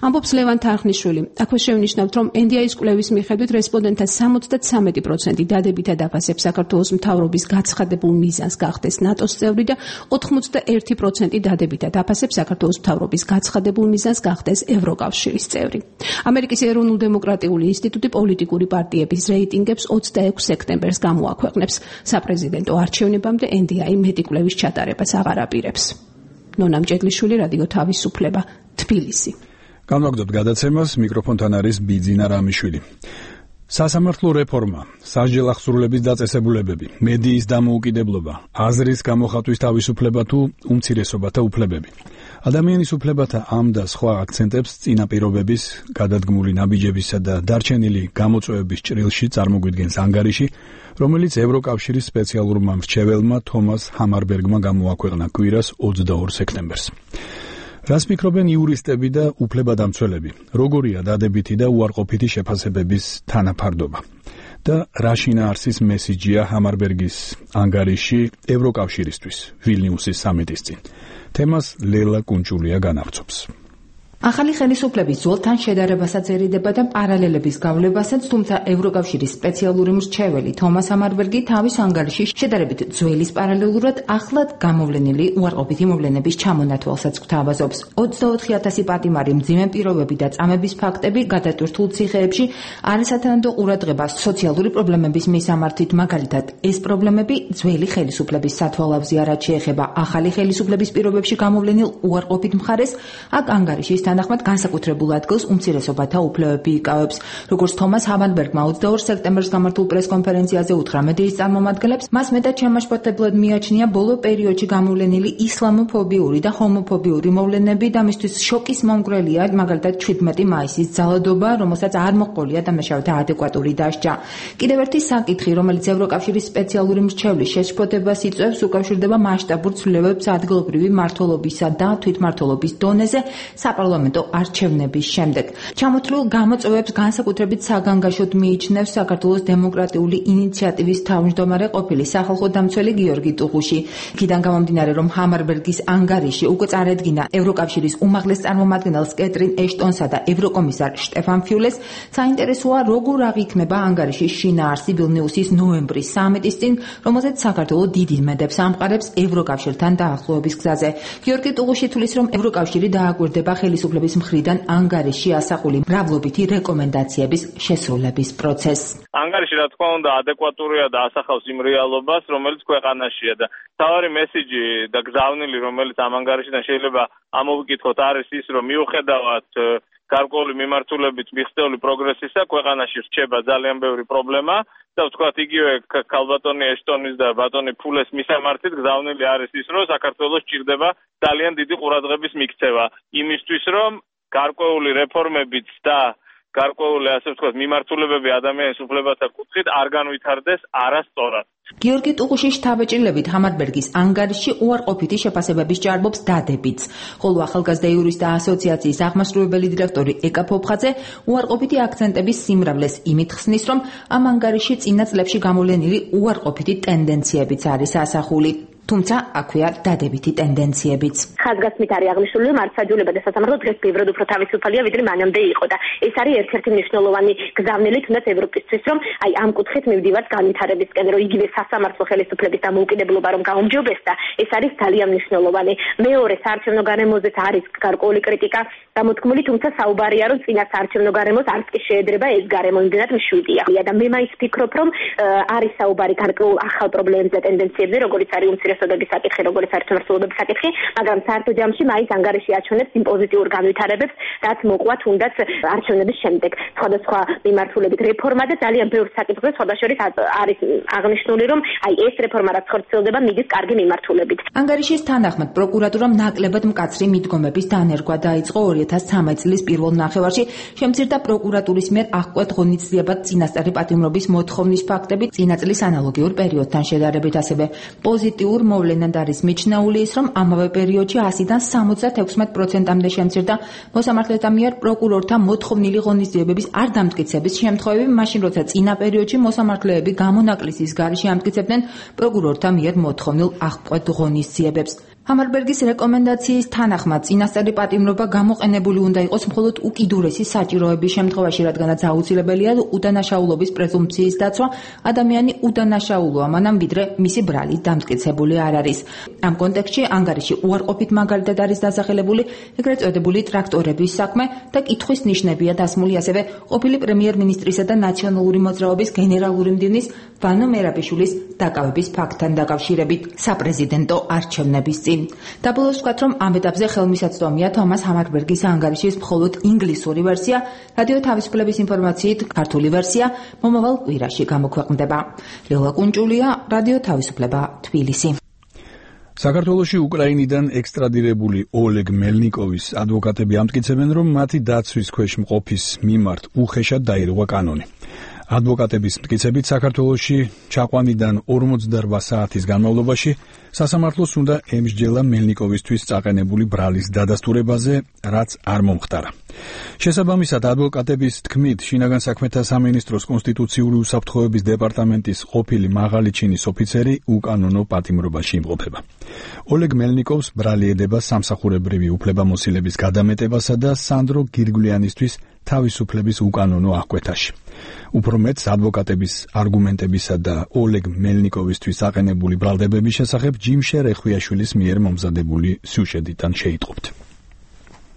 ამბობს ლევან თარხნიშვილი. აქვე შევნიშნავთ, რომ ენ დი აის კვლევის მიხედვით რესპონდენტთა სამოცდათსამეტი პროცენტი დადებითად აფასებს საქართველოს მთავრობის გაცხადებულ მიზანს გახდეს ნატოს წევრი და ოთხმოცდაერთი პროცენტი დადებითად აფასებს საქართველოს მთავრობის გაცხადებულ მიზანს გახდეს ევროკავშირის წევრი. ამერიკის ეროვნულ-დემოკრატიული ინსტიტუტი პოლიტიკური პარტიების რეიტინგებს ოცდაექვსი სექტემბერს გამოაქვეყნებს. საპრეზიდენტო არჩევნებამდე ენ დი აი მეტი კვლევის ჩატარებას აღარ აპირებს. ნონა მჭედლიშვილი, რადიო თავისუფლება, თბილისი. განვაგრძობთ გადაცემას, მიკროფონთან არის ბიძინა რამიშვილი. სასამართლო რეფორმა, სასჯელ აღსრულების დაწესებულებები, მედიის დამოუკიდებლობა, აზრის გამოხატვის თავისუფლება თუ უმცირესობათა უფლებები. ადამიანის უფლებათა ამ და სხვა აქცენტებს წინაპირობების, გადადგმული ნაბიჯებისა და დარჩენილი გამოწვევების ჭრილში წარმოგვიდგენს ანგარიში, რომელიც ევროკავშირის სპეციალურმა მრჩეველმა თომას ჰამარბერგმა გამოაქვეყნა კვირას ოცდაორ სექტემბერს. რას ფიქრობენ იურისტები და უფლებადამცველები? როგორია დადებითი და უარყოფითი შეფასებების თანაფარდობა? და რა შინაარსის მესიჯია ჰამარბერგის ანგარიში ევროკავშირისთვის ვილნიუსის სამიტის წინ? თემას ლელა კუნჭულია განავრცობს. ახალი ხელისუფლების ძველთან შედარებასაც ერიდება და პარალელების გავლებასაც, თუმცა ევროკავშირის სპეციალური მრჩეველი თომას ჰამარბერგი თავის ანგარიში შედარებით ძველის პარალელურად ახლად გამოვლენილი უარყოფითი მოვლენების ჩამონათვალსაც გვთავაზობს. ოცდაოთხი ათასი პატიმარი მძიმე პირობები და წამების ფაქტები გადატვირთულ ციხეებში არასათანადო ყურადღება სოციალური პრობლემების მისამართით, მაგალითად, ეს პრობლემები ძველი ხელისუფლების სათვალავზეა, რაც შეეხება ახალი ხელისუფლების პირობებში გამოვლენილ უარყოფით მხარეს, აქ ანგარიშის თანახმად განსაკუთრებულ ადგილს უმცირესობათა უფლებები იკავებს. როგორც თომას ჰამარბერგმა ოცდაორ სექტემბერს გამართულ პრესკონფერენციაზე უთხრა მედიის წარმომადგენლებს, მას მეტად შემაშფოთებლად მიაჩნია ბოლო პერიოდში გამოვლენილი ისლამოფობიური და ჰომოფობიური მოვლენები და მისთვის შოკის მომგვრელია, მაგალითად შვიდმეტი მაისის ძალადობა, რომელსაც არ მოჰყოლია დამნაშავეთა ადეკვატური დასჯა. კიდევ ერთი საკითხი, რომელიც ევროკავშირის სპეციალური მრჩევლის შეშფოთებას იწვევს, უკავშირდება მასშტაბურ ცვლილებებს ადგილობრივი მმართველობისა და თვითმმართველობის დონეზე, საპარლამენტო საპარლამენტო არჩევნების შემდეგ. ჩამოთვლილ გამოწვევებს განსაკუთრებით საგანგაშოდ მიიჩნევს საქართველოს დემოკრატიული ინიციატივის თავმჯდომარე ყოფილი სახალხო დამცველი გიორგი ტუღუში. იქიდან გამომდინარე, რომ ჰამარბერგის ანგარიში უკვე წარედგინა ევროკავშირის უმაღლეს წარმომადგენელს კეტრინ ეშტონსა და ევროკომისარ შტეფან ფიულეს, საინტერესოა როგორ აღიქმება ანგარიშის შინაარსი ვილნიუსის ნოემბრის სამიტის წინ, რომელზეც საქართველო დიდ იმედებს ამყარებს ევროკავშირთან დაახლოების გზაზე. გიორგი ტუღუში თვლის, რომ ევროკავშირი დააკვირდება ხელისუფლების მხრიდან ანგარიშში ასახული მრავლობითი რეკომენდაციების შესრულების პროცესს. ანგარიში რა თქმა უნდა ადეკვატურია და ასახავს იმ რეალობას, რომელიც ქვეყანაშია და თავარი მესიჯი და გზავნილი, რომელიც ამ ანგარიშიდან შეიძლება ამოვიკითხოთ, არის ის, რომ მიუხედავად გარკვეული მიმართულებით მიღწეული პროგრესისა, ქვეყანაში რჩება ძალიან ბევრი პრობლემა და ვთქვათ იგივე ქალბატონი ეშტონის და ბატონი ფულეს მისამართით გზავნილი არის ის, რომ საქართველოს ჭირდება ძალიან დიდი ყურადღების მიქცევა იმისთვის, რომ გარკვეული რეფორმებიც და გარკვეული ასე ვთქვათ მიმართულებები ადამიანის უფლებათა კუთხით არ განვითარდეს არასწორად. გიორგი ტუღუშის შთაბეჭდილებით ჰამარბერგის ანგარიში უარყოფითი შეფასებების ჭარბობს დადებიც, ხოლო ახალგაზრდა იურისტთა ასოციაციის აღმასრულებელი დირექტორი ეკა ფოფხაძე უარყოფითი აქცენტების სიმრავლეს იმით ხსნის, რომ ამ ანგარიში წინა წლებში გამოვლენილი უარყოფითი ტენდენციებიც არის ასახული. თუმცა აქვეა დადებითი ტენდენციებიც. ხაზგასმით არის აღნიშნული, რომ მართლმსაჯულება და სასამართლო დღეს ბევრად უფრო თავისუფალია, ვიდრე მანამდე იყო და ეს არის ერთ-ერთი მნიშვნელოვანი გზავნილი თუნდაც ევროპისთვის, რომ აი ამ კუთხით მივდივართ განვითარებისკენ, რომ იგივე სასამართლო ხელისუფლების დამოუკიდებლობა რომ გაუმჯობესდა, ეს არის ძალიან მნიშვნელოვანი. მეორე, საარჩევნო გარემოზეც არის გარკვეული კრიტიკა გამოთქმული, თუმცა საუბარია, რომ წინა საარჩევნო გარემოს არც კი შეედრება ეს გარემო, იმდენად მშვიდია. და მე მაინც ვფიქრობ, რომ არის საუბარი გარკვეულ ახალ პრობლემებზე და ტენდენციებზე, როგორც არის უმცირესობების საკითხი, როგორც არის თემართულობების საკითხი, მაგრამ საერთო ჯამში მაინც ანგარიში აჩვენებს იმ პოზიტიურ განვითარებებს, რაც მოყვა თუნდაც არჩევნების შემდეგ. სხვადასხვა მიმართულებით რეფორმა და ძალიან ბევრ საკითხზე სხვადასხვა არის აღნიშნული, რომ აი ეს რეფორმა რაც ხორციელდება, მიდის კარგი მიმართულებით. ანგარიშის თანახმად პროკურატურამ ნაკლებად მკაცრი მიდგომების დანერგვა დაიწყო ორი ათას ცხრამეტ წლის პირველ ნახევარში, შემცირდა პროკურატურის მიერ აღკვეთ ღონისძიებად წინასწარი პატიმრობის მოთხოვნის ფაქტები წინა წლის ანალოგიურ პერიოდთან შედარებით, ასევე პოზიტიურ მოვლენად არის მიჩნეული ის, რომ ამავე პერიოდში ასიდან სამოცდათექვსმეტ პროცენტამდე შემცირდა მოსამართლეთა მიერ პროკურორთა მოთხოვნილი ღონისძიებების არ დამტკიცების შემთხვევები, მაშინ როცა წინა პერიოდში მოსამართლეები გამონაკლისის გარეშე ამტკიცებდნენ პროკურორთა მიერ მოთხოვნილ აღკვეთ ღონისძიებებს. ჰამარბერგის რეკომენდაციის თანახმად წინასწარი პატიმრობა გამოყენებული უნდა იყოს მხოლოდ უკიდურესი საჭიროების შემთხვევაში, რადგანაც აუცილებელია უდანაშაულობის პრეზუმპციის დაცვა, ადამიანი უდანაშაულოა, მანამ ვიდრე მისი ბრალი დამტკიცებული არ არის. ამ კონტექსტში ანგარიში უარყოფით მაგალითად არის დასახელებული ეგრეთ წოდებული ტრაქტორების საქმე და კითხვის ნიშნებია დასმული ასევე ყოფილი პრემიერ-მინისტრისა და ნაციონალური მოძრაობის გენერალური მდივნის ვანო მერაბიშვილის დაკავების ფაქტთან დაკავშირებით საპრეზიდენტო არჩევნების წინ. დაბოლოს ვთქვათ, რომ ამ ეტაპზე ხელმისაწვდომია თომას ჰამარბერგის ანგარიშის მხოლოდ ინგლისური ვერსია, რადიო თავისუფლების ინფორმაციით ქართული ვერსია მომავალ კვირაში გამოქვეყნდება. ლელა კუნჭულია, რადიო თავისუფლება, თბილისი. საქართველოში უკრაინიდან ექსტრადირებული ოლეგ მელნიკოვის ადვოკატები ამტკიცებენ, რომ მათი დაცვის ქვეშ მყოფის მიმართ უხეშად დაირღვა კანონი. ადვოკატების მტკიცებით საქართველოში ჩაყვანიდან ორმოცდაორ საათის განმავლობაში სასამართლოს უნდა ემსჯელა მელნიკოვისთვის წაყენებული ბრალის დადასტურებაზე, რაც არ მომხდარა. შესაბამისად, ადვოკატების თქმით, შინაგან საქმეთა სამინისტროს კონსტიტუციური უსაფრთხოების დეპარტამენტის ყოფილი მაღალი ჩინის ოფიცერი უკანონო პატიმრობაში იმყოფება. ოლეგ მელნიკოვს ბრალი ედება სამსახურებრივი უფლებამოსილების გადამეტებასა და სანდრო გირგვლიანისთვის თავისუფლების უკანონო აღკვეთაში. უფრო მეტს, ადვოკატების არგუმენტებისა და ოლეგ მელნიკოვისთვის აყენებული ბრალდებების შესახებ ჯიმშე რეხვიაშვილის მიერ მომზადებული სიუჟეტიდან შეიტყობთ.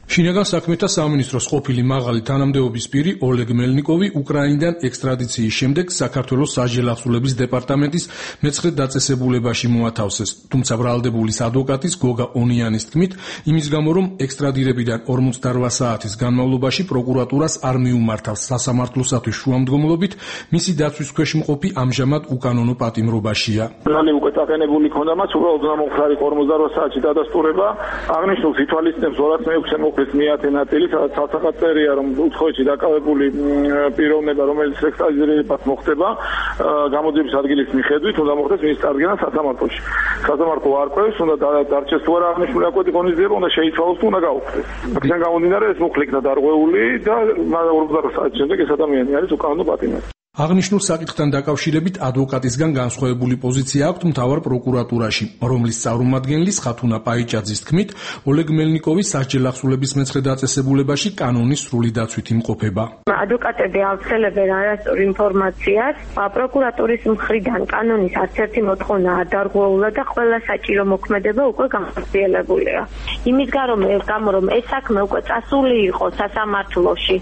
შინაგან საქმეთა სამინისტროს ყოფილი მაღალი თანამდებობის პირი ოლეგ მელნიკოვი უკრაინიდან ექსტრადიციის შემდეგ საქართველოს საჯარო ახსულების დეპარტამენტის მეცხრე დაწესებულებაში მოათავსეს, თუმცა ბრალდებულის ადვოკატის გოგა ონიანის თქმით, იმის გამო რომ ექსტრადირებიდან ორმოცდაორ საათის განმავლობაში პროკურატურას არ მიუმართავს სასამართლოსათვის შუამდგომლობით, მისი დაცვის ქვეშ მყოფი ამჟამად უკანონო პატიმრობაშია. ბრალი უკვე წაყენებული ქონდა მას, უბრალოდ გამომხდარი ორმოცდაორ საათი დადასტურება, აღნიშნულს ითვალისწინებს ორ ათას მეექვსე მოხდის მეათე ნაწილი, სადაც ცალსახად წერია, რომ უცხოეთში დაკავებული პიროვნება, რომელიც ექსტრადირებას მოხდება, გამოძიების ადგილის მიხედვით უნდა მოხდეს მის წარდგენა სასამართლოში. სასამართლო არკვევს, უნდა დარჩეს თუ არა აღნიშნული აკვეთი ღონისძიება, უნდა შეიცვალოს თუ უნდა გაუქმდეს. აქედან გამომდინარე ეს მუხლი იქნა დარღვეული და ორმოცდაოთხ საათის შემდეგ ეს ადამიანი არის უკანონო პატიმარი. აღნიშნულ საკითხთან დაკავშირებით ადვოკატისგან განსხვავებული პოზიცია აქვთ მთავარ პროკურატურაში, რომლის წარმომადგენლის ხათუნა პაიჭაძის თქმით, ოლეგ მელნიკოვის სასჯელ ახსულების მეცხრე დაწესებულებაში კანონის სრული დაცვით იმყოფება. ადვოკატები ავრცელებენ არასწორ ინფორმაციას, პროკურატურის მხრიდან კანონის არც ერთი მოთხოვნა არ დარღვეულა და ყველა საჭირო მოქმედება უკვე განხორციელებულია. იმის გამო რომ ეს საქმე უკვე წასული იყო სასამართლოში,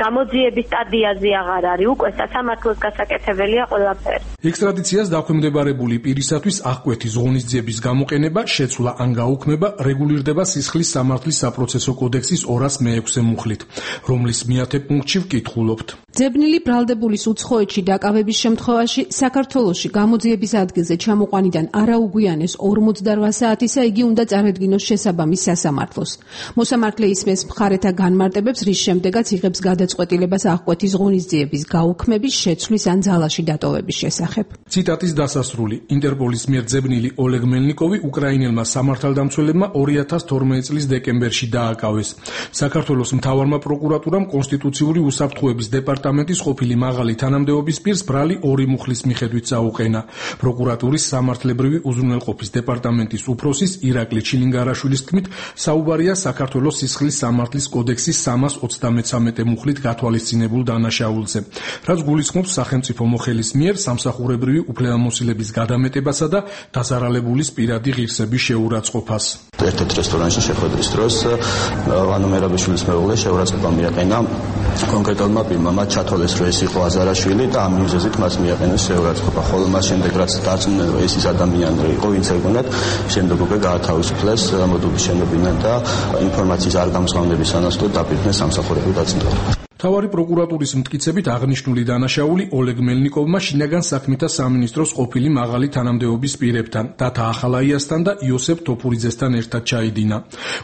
გამოძიების სტადიაზე აღარ არის, უკვე სასამართლოში გასაკეთებელია ყველაფერი. ექსტრადიციას დაქვემდებარებული პირისათვის აღკვეთის ღონისძიების გამოყენება, შეცვლა ან გაუქმება რეგულირდება სისხლის სამართლის საპროცესო კოდექსის ორას მეექვსე მუხლით, რომლის მეათე პუნქტში ვკითხულობთ. ძებნილი ბრალდებულის უცხოეთში დაკავების შემთხვევაში საქართველოში გამოძიების ადგილზე ჩამოყვანიდან არაუგვიანეს ორმოცდაოთხ საათისა იგი უნდა წარედგინოს შესაბამის სასამართლოს. მოსამართლე ისმის მხარეთა განმარტებებს, რის შემდეგაც იღებს გადაწყვეტილებას აღკვეთის ღონისძიების გაუქმების, შეცვლის ან ძალაში დატოვების შესახებ. ციტატის დასასრული. ინტერპოლის მიერ ძებნილი ოლეგ მელნიკოვი უკრაინელმა სამართალდამცველებმა ორი ათას თორმეტი წლის დეკემბერში დააკავეს. საქართველოს მთავარმა პროკურატურამ კონსტიტუციური უსაფრთხოების დეპარტამენტის ყოფილი მაღალი თანამდებობის პირს ბრალი ორი მუხლის მიხედვით წაუყენა. პროკურატურის სამართლებრივი უზრუნველყოფის დეპარტამენტის უფროსის ირაკლი ჩილინგარაშვილის თქმით, საუბარია საქართველოს სისხლის სამართლის კოდექსის სამას ოცდამეცამეტე მუხლით გათვალისწინებულ დანაშაულზე, რაც გულისხმობს სახელმწიფო მოხელის მიერ სამსახურებრივი უფლებამოსილების გადამეტებასა და დაზარალებულის პირადი ღირსების შეურაცხყოფას. ერთ-ერთ რესტორანში შეხვედრის დროს ანუ მერაბიშვილის მეუღლე შეურაცხყოფა მიაყენა კონკრეტულმა პირმა, მათ ჩათვალეს, რომ ეს იყო აზარაშვილი და ამ მიზეზით მას მიაყენეს შეურაცხყოფა. ხოლო მას შემდეგ რაც დარწმუნდნენ, რომ ეს ის ადამიანი იყო, ვინც ეგონათ, შემდეგ უკვე გაათავისუფლეს მოდულის შენობიდან და ინფორმაციის არ გამსხამდების სანაცვლოდ დაპირდნენ სამსახურებრივ დაწინაურებას. მთავარი პროკურატურის მტკიცებით აღნიშნული დანაშაული ოლეგ მელნიკოვმა შინაგან საქმეთა სამინისტროს ყოფილი მაღალი თანამდებობის პირებთან, დათა ახალაიასთან და იოსებ თოფურიძესთან ერთად ჩაიდინა.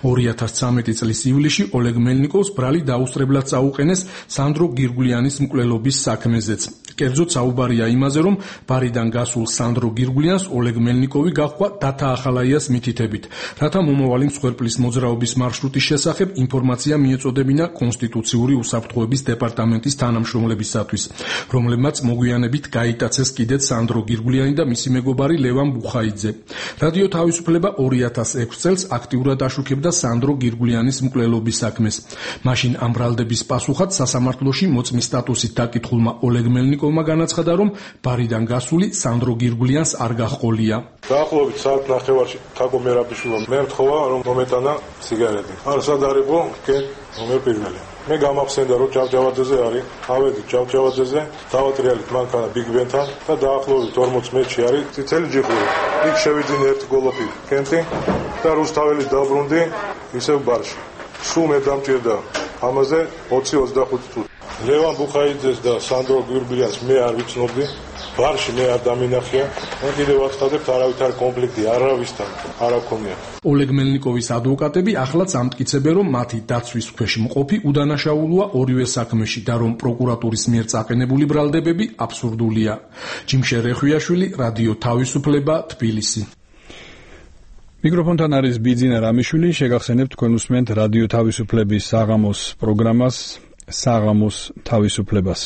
ორი ათას ცხრამეტი წლის ივლისში ოლეგ მელნიკოვს ბრალი დაუსწრებლად წაუყენეს სანდრო გირგულიანის მკვლელობის საქმეზეც. კერძოდ საუბარია იმაზე, რომ ბარიდან გასულ სანდრო გირგულიანს ოლეგ მელნიკოვი გაჰყვა დათა ახალაიას მითითებით, რათა მომავალი მსხვერპლის მოძრაობის მარშრუტის შესახებ ინფორმაცია მიეწოდებინა კონსტიტუციური უსაფრთხოების დეპარტამენტის თანამშრომლებისათვის, რომლებმაც მოგვიანებით გაიტაცეს კიდეც სანდრო გირგულიანი და მისი მეგობარი ლევან ბუხაიძე. რადიო თავისუფლება ორი ათას ექვსი წელს აქტიურად აშუქებდა სანდრო გირგულიანის მკვლელობის საქმეს. მაშინ ამ ბრალდების პასუხად სასამართლოში მოწმის სტატუსით დაკითხულმა ოლეგ მელნიკოვმა განაცხადა, რომ ბარიდან გასული სანდრო გირგულიანს არ გაჰყოლია. დაახლოებით საათ ნახევარში თაგო მერაბიშვილმა მე მთხოვა, რომ მომეტანა სიგარეტი. არ სად არისო, კენ ნომერ პირველი. მე გამახსენდა, რომ ჯავჯავაძეზე არის, ავედი ჯავჯავაძეზე, დავატრიალით მანქანა ბიგ ბენთან და დაახლოებით ორმოც მეტრში არის წითელი ჯიხური. იქ შევიძინე ერთი გოლოფი კენტი და რუსთაველის დაბრუნდი ისევ ბარში. სულ მე დამჭირდა ამაზე ოცი ოცდახუთი წუთი. ლევან ბუხაიძეს და სანდრო გირგულიანს მე არ ვიცნობდი, ბარში მე არ დამინახია. მე კიდევ ვაცხადებთ, არავითარი კონფლიქტი არავისთან არ აქვს. ოლეგ მელნიკოვის ადვოკატები ახლაც ამტკიცებენ, რომ მათი დაცვის ქვეშ მყოფი უდანაშაულოა ორივე საქმეში და რომ პროკურატურის მიერ წაყენებული ბრალდებები აბსურდულია. ჯიმშე რეხვიაშვილი, რადიო თავისუფლება, თბილისი. მიკროფონთან არის ბიძინა რამიშვილი, შეგახსენებთ თქვენ უსმენთ რადიო თავისუფლების საღამოს პროგრამას საღამოს თავისუფლებას.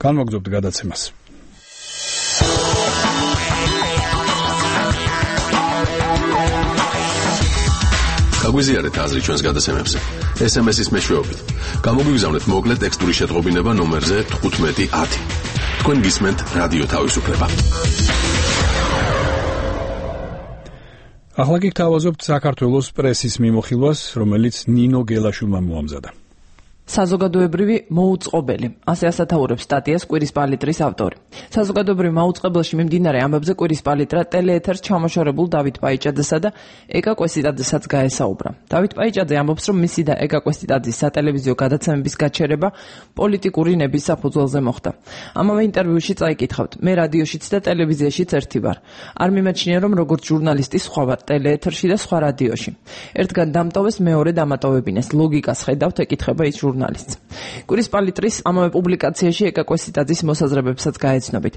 განმოგზავნებთ გადაცემას. გაგვიზიარეთ აზრი ჩვენს გადაცემებზე. ეს ემ ეს-ის მეშვეობით. გამოგვიგზავნეთ მოკლე ტექსტური შეტყობინება ნომერზე თხუთმეტი ათი. თქვენ გისმენთ რადიო თავისუფლება. ახლა კი გთავაზობთ საქართველოს პრესის მიმოხილვას, რომელიც ნინო გელაშვილმა მოამზადა. საზოგადოებრივი მოუწყობელი. ასე ასათაურებს სტატიას კვირის პალიტრის ავტორი. საზოგადოებრივ მოუწყებელში მიმდინარე ამბებზე კვირის პალიტრა ტელეეთერს ჩამოშორებულ დავით პაიჭაძესა და ეკა კვესტიტაძესაც გაესაუბრა. დავით პაიჭაძე ამბობს, რომ მისი და ეკა კვესტიტაძის სატელევიზიო გადაცემების გაჩერება პოლიტიკური ნების საფუძველზე მოხდა. ამავე ინტერვიუში წაიკითხავთ, მე რადიოშიც და ტელევიზიაშიც ერთი ვარ. არ მიმაჩნია, რომ როგორც ჟურნალისტი სხვა ვარ ტელეეთერში და სხვა რადიოში. ერთგან დამტოვეს, მეორე დამატოვებინეს. ლოგიკას ხედავთ, ეკითხება ის ჟურნალისტი. ჟურნალისტს. კვირის პალიტრის ამავე პუბლიკაციაში ეკა კვესიტაძის მოსაზრებებსაც გაეცნობით.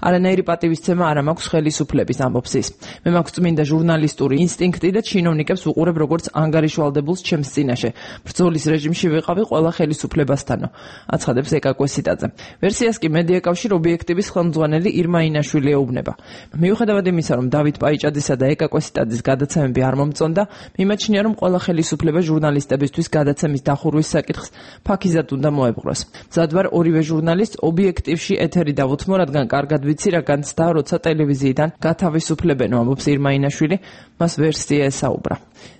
არანაირი პატივისცემა არ მაქვს ხელისუფლების, ამბობს ის. მე მაქვს წმინდა ჟურნალისტური ინსტინქტი და ჩინოვნიკებს ვუყურებ როგორც ანგარიშვალდებულს ჩემს წინაშე. ბრძოლის რეჟიმში ვიყავი ყველა ხელისუფლებასთანო, აცხადებს ეკა კვესიტაძე. ვერსიას კი მედიაკავშირ ობიექტივის ხელმძღვანელი ირმა ინაშვილი ეუბნება. მიუხედავად იმისა, რომ დავით პაიჭაძისა და ეკა კვესიტაძის გადაცემები არ მომწონდა, მიმაჩნია, რომ ყველა ხელისუფლება ჟურნალისტებისთვის გადაცემის დახურვის საკითხს ფაქიზად უნდა მოეპყროს. მზად ვარ ორივე ჟურნალისტს ობიექტივში ეთერი დავუთმო, რადგან კარგად ვიცი რა განცდა, როცა ტელევიზიიდან გათავისუფლებენ, ამბობს ირმა ინაშვილი, მას ვერსია ესაუბრა.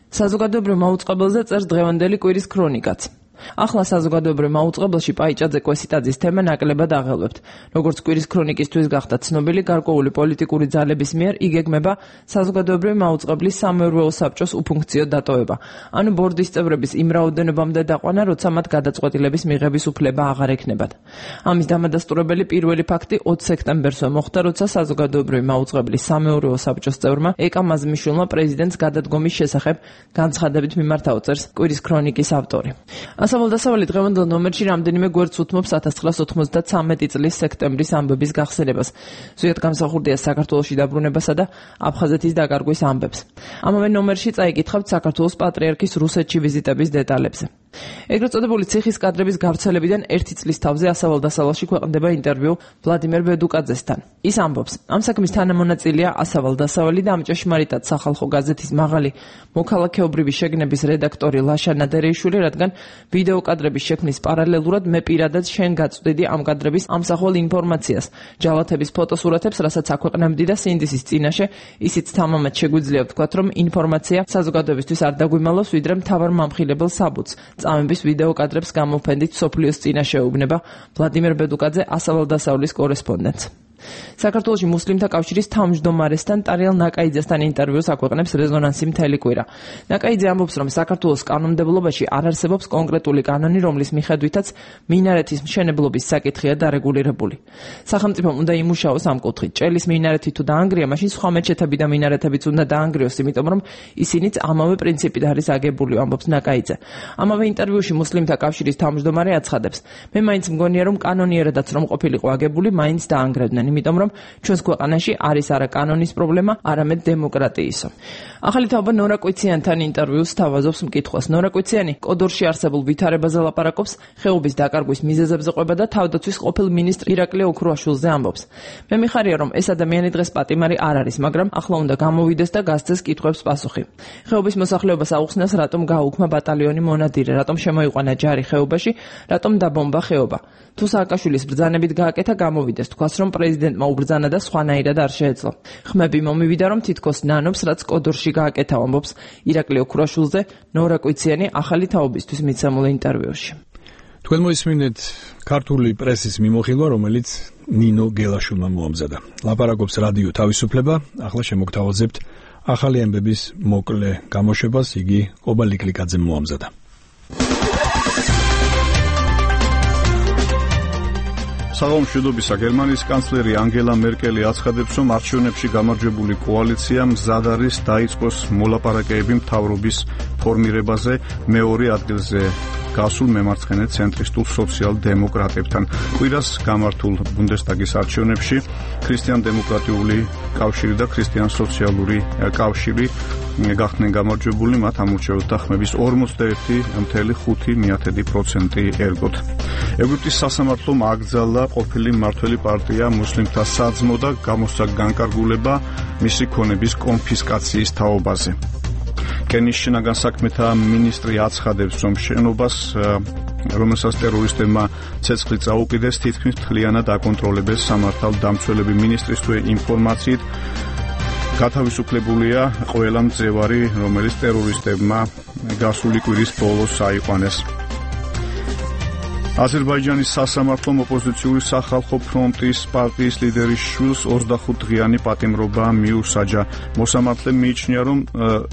საზოგადოებრივ მაუწყებელზე წერს დღევანდელი კვირის ქრონიკაც. ახლა საზოგადოებრივ მაუწყებელში პაიჭაძე კვესიტაძის თემა ნაკლებად აღელვებთ. როგორც კვირის ქრონიკისთვის გახდა ცნობილი, გარკვეული პოლიტიკური ძალების მიერ იგეგმება საზოგადოებრივ მაუწყებლის სამეურვეო საბჭოს უფუნქციო დატოვება. ანუ ბორდის წევრების იმ რაოდენობამდე დაყვანა, როცა მათ გადაწყვეტილების მიღების უფლება აღარ ექნებათ. ამის დამადასტურებელი პირველი ფაქტი ოცი სექტემბერსვე მოხდა, როცა საზოგადოებრივ მაუწყებლის სამეურვეო საბჭოს წევრმა ეკა მაზმიშვილმა პრეზიდენტს გადადგომის შესახებ განცხადებით მიმართა, წერს კვირის ქრონიკის ავტორი. ასავალ-დასავალი დღევანდელ ნომერში რამდენიმე გვერდს უთმობს ათას ცხრაასა ოთხმოცდათსამეტი წლის სექტემბრის ამბების გახსენებას. ზუსტად გამსახურდია საქართველოში დაბრუნებასა და აფხაზეთის დაკარგვის ამბებს. ამავე ნომერში წაიკითხავთ საქართველოს პატრიარქის რუსეთში ვიზიტების დეტალებზე. ეგრეთ წოდებული ციხის კადრების გავრცელებიდან ერთი წლის თავზე ასავალ-დასავალში ქვეყნდება ინტერვიუ ვლადიმერ ბედუკაძესთან. ის ამბობს, ამ საქმის თანამონაწილეა ასავალ-დასავალი და ამ ჭეშმარიტად სახალხო გაზეთის მაღალი მოქალაქეობრივი შეგნების რედაქტორი ლაშა ნადარეიშვილი, რადგან ვიდეო კადრების შექმნის პარალელურად მე პირადად შენ გაწვდიდი ამ კადრების ამსახველ ინფორმაციას, ჯალათების ფოტოსურათებს, რასაც აქვეყნებდი და სინდისის წინაშე, ისიც თამამად შეგვიძლია ვთქვათ, რომ ინფორმაცია საზოგადოებისთვის არ დაგვიმალავს, ვიდრე მთავარ მამხილებელ საბუთს. წამების ვიდეო კადრებს გამოფენდით სოფლიოს წინაშე ეუბნება ვლადიმერ ბედუკაძე, ასავალ-დასავლის კორესპონდენტს. საქართველოში მუსლიმთა კავშირის თავმჯდომარესთან ტარიელ ნაკაიძესთან ინტერვიუს აქვეყნებს რეზონანსი მთელი კვირა. ნაკაიძე ამბობს, რომ საქართველოს კანონმდებლობაში არ არსებობს კონკრეტული კანონი, რომლის მიხედვითაც მინარეთის მშენებლობის საკითხია დარეგულირებული. სახელმწიფომ უნდა იმუშაოს ამ კუთხით. ჭელის მინარეთი თუ დაანგრია, მაშინ სხვა მეჩეთები და მინარეთებიც უნდა დაანგრიოს, იმიტომ რომ ისინიც ამავე პრინციპით არის აგებული, ამბობს ნაკაიძე. ამავე ინტერვიუში მუსლიმთა კავშირის თავმჯდომარე აცხადებს, მე მაინც მგონია, რომ კანონიერადაც რომ ყოფილიყო აგებული, მაინც დაანგრევდნენ. იმიტომ რომ ჩვენს ქვეყანაში არის არა კანონის პრობლემა, არამედ დემოკრატიისა. ახალი თაობა ნორა კვიციანთან ინტერვიუს თავაზობს მკითხვას. ნორა კვიციანი კოდორში არსებულ ვითარებაზე ლაპარაკობს, ხეობის დაკარგვის მიზეზებზე ყვება და თავდაცვის ყოფილ მინისტრ ირაკლი ოქრუაშვილზე ამბობს. მე მიხარია, რომ ეს ადამიანი დღეს პატიმარი არ არის, მაგრამ ახლა უნდა გამოვიდეს და გასცეს კითხვებს პასუხი. ხეობის მოსახლეობას აუხსნას, რატომ გააუქმა ბატალიონი მონადირე, რატომ შემოიყვანა ჯარი ხეობაში, რატომ დაბომბა ხეობა. თუ სააკაშვილის ბრძანებით გააკეთა, გამოვიდეს, თქვას, რომ პრეზიდენტმა უბრძანა და სხვანაირად არ შეეძლო. ხმები მომივიდა, რომ თითქოს ნანობს, რაც კოდორში გააკეთა, ამბობს ირაკლი ოქრუაშვილზე ნორა კვიციანი ახალი თაობისთვის მიცემულ ინტერვიუში. თქვენ მოისმინეთ ქართული პრესის მიმოხილვა, რომელიც ნინო გელაშვილმა მოამზადა. ლაპარაკობს რადიო თავისუფლება, ახლა შემოგთავაზებთ ახალი ამბების მოკლე გამოშვებას, იგი ყობა ლიკლიკაძემ მოამზადა. საღამო მშვიდობისა, გერმანიის კანცლერი ანგელა მერკელი აცხადებს, რომ არჩევნებში გამარჯვებული კოალიცია მზად არის დაიწყოს მოლაპარაკებები მთავრობის ფორმირებაზე მეორე ადგილზე გასულ მემარცხენე ცენტრისტულ სოციალ-დემოკრატებთან. კვირას გამართულ ბუნდესტაგის არჩევნებში ქრისტიან-დემოკრატიული კავშირი და ქრისტიან-სოციალური კავშირი გახდნენ გამარჯვებული, მათ ამორჩეულთა ხმების ორმოცდაერთი ფاصლე ხუთი პროცენტი ერგოთ. ეგვიპტის სასამართლომ აკრძალა ყოფილი მმართველი პარტია მუსლიმთა საძმო და გამოსცა განკარგულება მისი ქონების კონფისკაციის თაობაზე. კენის შინაგან საქმეთა მინისტრი აცხადებს, რომ შენობას, რომელსაც ტერორისტებმა ცეცხლი წაუკიდეს, თითქმის მთლიანად აკონტროლებენ სამართალდამცველები. მინისტრის ინფორმაციით გათავისუფლებულია ყველა მძევარი, რომელიც ტერორისტებმა გასული კვირის ბოლოს აიყვანეს. აზერბაიჯანის სასამართლომ ოპოზიციური სახალხო ფრონტის პარტიის ლიდერის შვილს ოცდახუთდღიანი პატიმრობა მიუსაჯა. მოსამართლემ მიიჩნია, რომ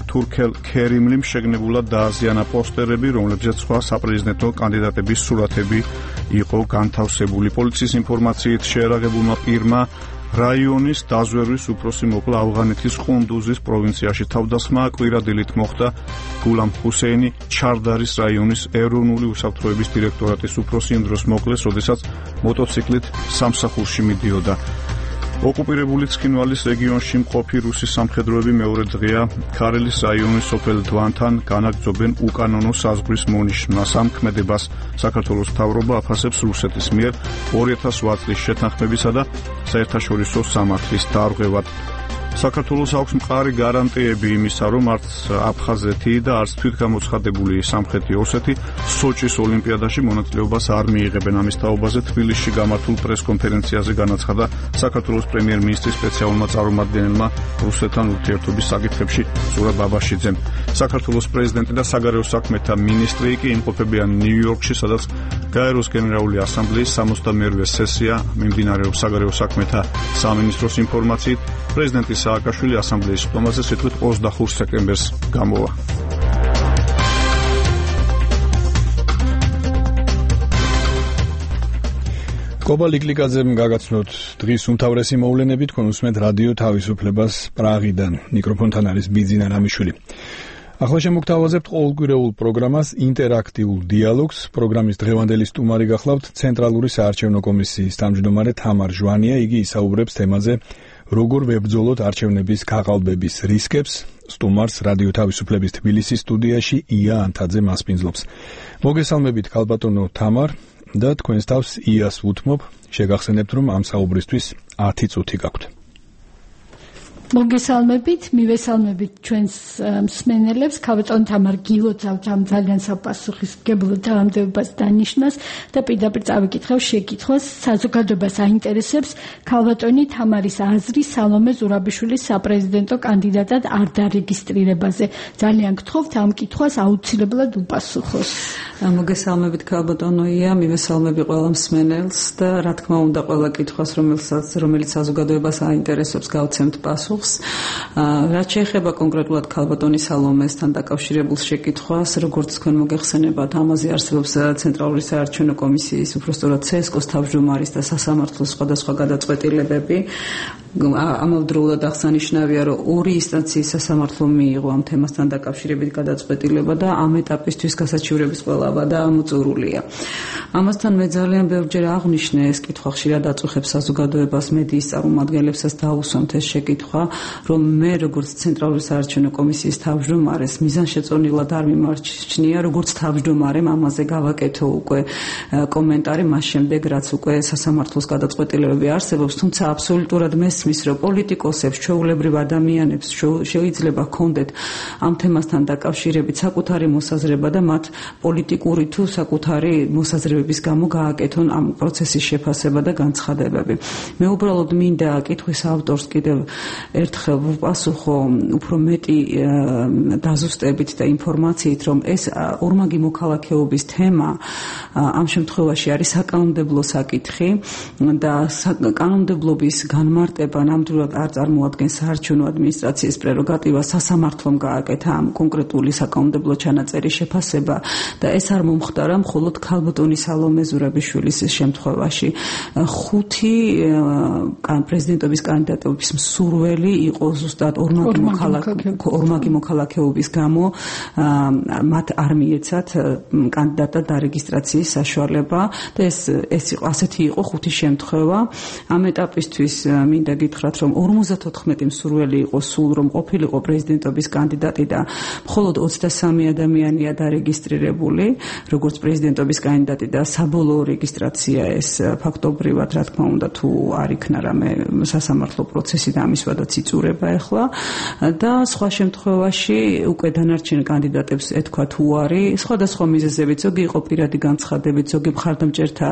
თურქელ ქერიმლიმ შეგნებულად დააზიანა პოსტერები, რომლებზეც სხვა საპრეზიდენტო კანდიდატების სურათები იყო განთავსებული. პოლიციის ინფორმაციით შეერაღებულმა პირმა რაიონის დაზვერვის უფროსი მოკლა ავღანეთის ყუნდუზის პროვინციაში. თავდასხმა კვირადილით მოხდა გულამ ჰუსეინი ჩარდარის რაიონის ეროვნული უსაფრთხოების დირექტორატის უფროსი იმ დროს მოკლეს, როდესაც მოტოციკლით სამსახურში მიდიოდა. ოკუპირებული ცხინვალის რეგიონში მყოფი რუსი სამხედროები მეორე დღეა ქარელის რაიონის სოფელ დვანთან განაგრძობენ უკანონო საზღვრის მონიშნვას. ამ ქმედებას საქართველოს მთავრობა აფასებს რუსეთის მიერ ორი ათას ოთხ წლის შეთანხმებისა და საერთაშორისო სამართლის დარღვევად. საქართველოს აქვს მყარი გარანტიები იმისა, რომ არც აფხაზეთი და არც თვითგამოცხადებული სამხრეთი ოსეთი სოჭის ოლიმპიადაში მონაწილეობას არ მიიღებენ. ამის თაობაზე თბილისში გამართულ პრესკონფერენციაზე განაცხადა საქართველოს პრემიერ-მინისტრის სპეციალურმა წარმომადგენელმა რუსეთთან ურთიერთობის საკითხებში ზურაბ ბაბაშიძემ. საქართველოს პრეზიდენტი და საგარეო საქმეთა მინისტრი კი იმყოფებიან ნიუ-იორკში, სადაც გაეროს გენერალური ასამბლეის სამოცდამეორე სესია მიმდინარეობს. საგარეო საქმეთა სამინისტროს ინფორმაციით პრეზიდენტი სააკაშვილი ასამბლეის ხდომაზე სიტყვით ოცდახუთ სექტემბერს გამოვა. კობა ლიკლიკაძემ გაგაცნოთ დღის უმთავრესი მოვლენები, თქვენ უსმენთ რადიო თავისუფლებას პრაღიდან. მიკროფონთან არის ბიძინა რამიშვილი. ახლა შემოგთავაზებთ ყოველკვირეულ პროგრამას ინტერაქტიულ დიალოგს. პროგრამის დღევანდელი სტუმარი გახლავთ ცენტრალური საარჩევნო კომისიის თავმჯდომარე თამარ ჟვანია. იგი ისაუბრებს თემაზე როგორ ვებრძოლოთ არჩევნების გაყალბების რისკებს. სტუმარს რადიო თავისუფლების თბილისის სტუდიაში ია ანთაძე მასპინძლობს. მოგესალმებით ქალბატონო თამარ და თქვენს თავს იას ვუთმობ. შეგახსენებთ, რომ ამ საუბრისთვის ათი წუთი გაქვთ. მოგესალმებით, მივესალმებით ჩვენს მსმენელებს. ქალბატონ თამარ გილოცავთ ამ ძალიან საპასუხისმგებლო თანამდებობას დანიშნას და პირდაპირ წავიკითხავ შეკითხვას. საზოგადოებას აინტერესებს ქალბატონი თამარის აზრი სალომე ზურაბიშვილის საპრეზიდენტო კანდიდატად არ დარეგისტრირებაზე. ძალიან გთხოვთ ამ კითხვას აუცილებლად უპასუხოს. მოგესალმებით ქალბატონო ია, მივესალმები ყველა მსმენელს და რა თქმა უნდა ყველა კითხვას, რომელსაც რომელიც საზოგადოებას აინტერესებს, გავცემთ პასუხს. რაც შეეხება კონკრეტულად ქალბატონი სალომესთან დაკავშირებულ შეკითხვას, როგორც თქვენ მოგეხსენებათ, ამაზე არსებობს ცენტრალური საარჩევნო კომისიის, უпростоრად ცესკოს თავმჯდომარის და სასამართლოს სხვადასხვა გადაწყვეტილებები. ამავდროულად აღსანიშნავია, რომ ორი ინსტანციის სასამართლო მიიღო ამ თემასთან დაკავშირებით გადაწყვეტილება და ამ ეტაპისთვის გასაჩივრების ყველა ვადა ამოწურულია. ამასთან მე ძალიან ბევრჯერ აღვნიშნე ეს კითხვა ხშირად აწუხებს საზოგადოებას, მედიის წარმომადგენლებსაც დაუსვამთ ეს შეკითხვა, რომ მე როგორც ცენტრალური საარჩევნო კომისიის თავმჯდომარეს მიზანშეწონილად არ მიმარჩნია, როგორც თავმჯდომარემ ამაზე გავაკეთო უკვე კომენტარი მას შემდეგ, რაც უკვე სასამართლოს გადაწყვეტილებები არსებობს, თუმცა აბსოლუტურად მესმის, რომ პოლიტიკოსებს, ჩვეულებრივ ადამიანებს შეიძლება ჰქონდეთ ამ თემასთან დაკავშირებით საკუთარი მოსაზრება და მათ პოლიტიკური თუ საკუთარი მოსაზრებების გამო გააკეთონ ამ პროცესის შეფასება და განცხადებები. მე უბრალოდ მინდა კითხვის ავტორს კიდევ ერთხელ ვუპასუხო უფრო მეტი დაზუსტებით და ინფორმაციით, რომ ეს ორმაგი მოქალაქეობის თემა ამ შემთხვევაში არის საკანონმდებლო საკითხი და კანონმდებლობის განმარტება ნამდვილად არ წარმოადგენს საარჩევნო ადმინისტრაციის პრეროგატივას. სასამართლომ გააკეთა ამ კონკრეტული საკანონმდებლო ჩანაწერის შეფასება და ეს არ მომხდარა მხოლოდ ქალბატონი სალომე ზურაბიშვილის შემთხვევაში. ხუთი პრეზიდენტობის კანდიდატების მსურველი იყო ზუსტად ორმაგი მოქალაქეობის გამო მათ არ მიეცათ კანდიდატად დარეგისტრაციის საშუალება და ეს ეს იყო ასეთი იყო ხუთი შემთხვევა. ამ ეტაპისთვის მინდა გითხრათ, რომ ორმოცდათოთხმეტი მსურველი იყო სულ, რომ ყოფილიყო პრეზიდენტობის კანდიდატი და მხოლოდ ოცდასამი ადამიანია დარეგისტრირებული როგორც პრეზიდენტობის კანდიდატი და საბოლოო რეგისტრაცია ეს ფაქტობრივად რა თქმა უნდა თუ არ იქნა რამე სასამართლო პროცესი და ამის ვადაც იწურება ახლა და სხვა შემთხვევაში უკვე დანარჩენ კანდიდატებს ეთქვა თუ არი სხვადასხვა მიზეზებით, ზოგი იყო პირადი განცხადებით, ზოგი მხარდამჭერთა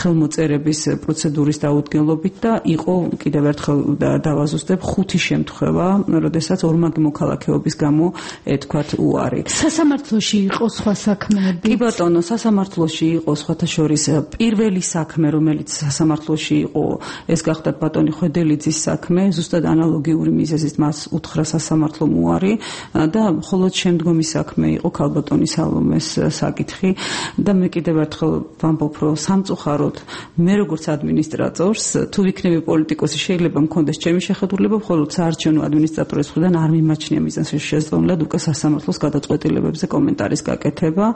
ხელმოწერების პროცედურის დაუდგენლობით და იყო კიდევ ერთხელ დავაზუსტებ ხუთი შემთხვევა, როდესაც ორმაგი მოქალაქეობის გამო ეთქვათ უარი. სასამართლოში იყო სხვა საქმეები? კი ბატონო, სასამართლოში იყო სხვათა შორის პირველი საქმე, რომელიც სასამართლოში იყო, ეს გახდათ ბატონი ხვედელიძის საქმე, ზუსტად ანალოგიური მიზეზით მას უთხრა სასამართლომ უარი და მხოლოდ შემდგომი საქმე იყო ქალბატონი სალომეს საკითხი და მე კიდევ ერთხელ ვამბობ, რომ სამწუხაროდ მე როგორც ადმინისტრატორს, თუ ვიქნები პოლიტიკოსი, შეიძლება შეიძლება მქონდეს ჩემი შეხედულება, მხოლოდ საარჩევნო ადმინისტრატორის მხრიდან არ მიმაჩნია მიზანს შესწავლილად უკვე სასამართლოს გადაწყვეტილებებზე კომენტარის გაკეთება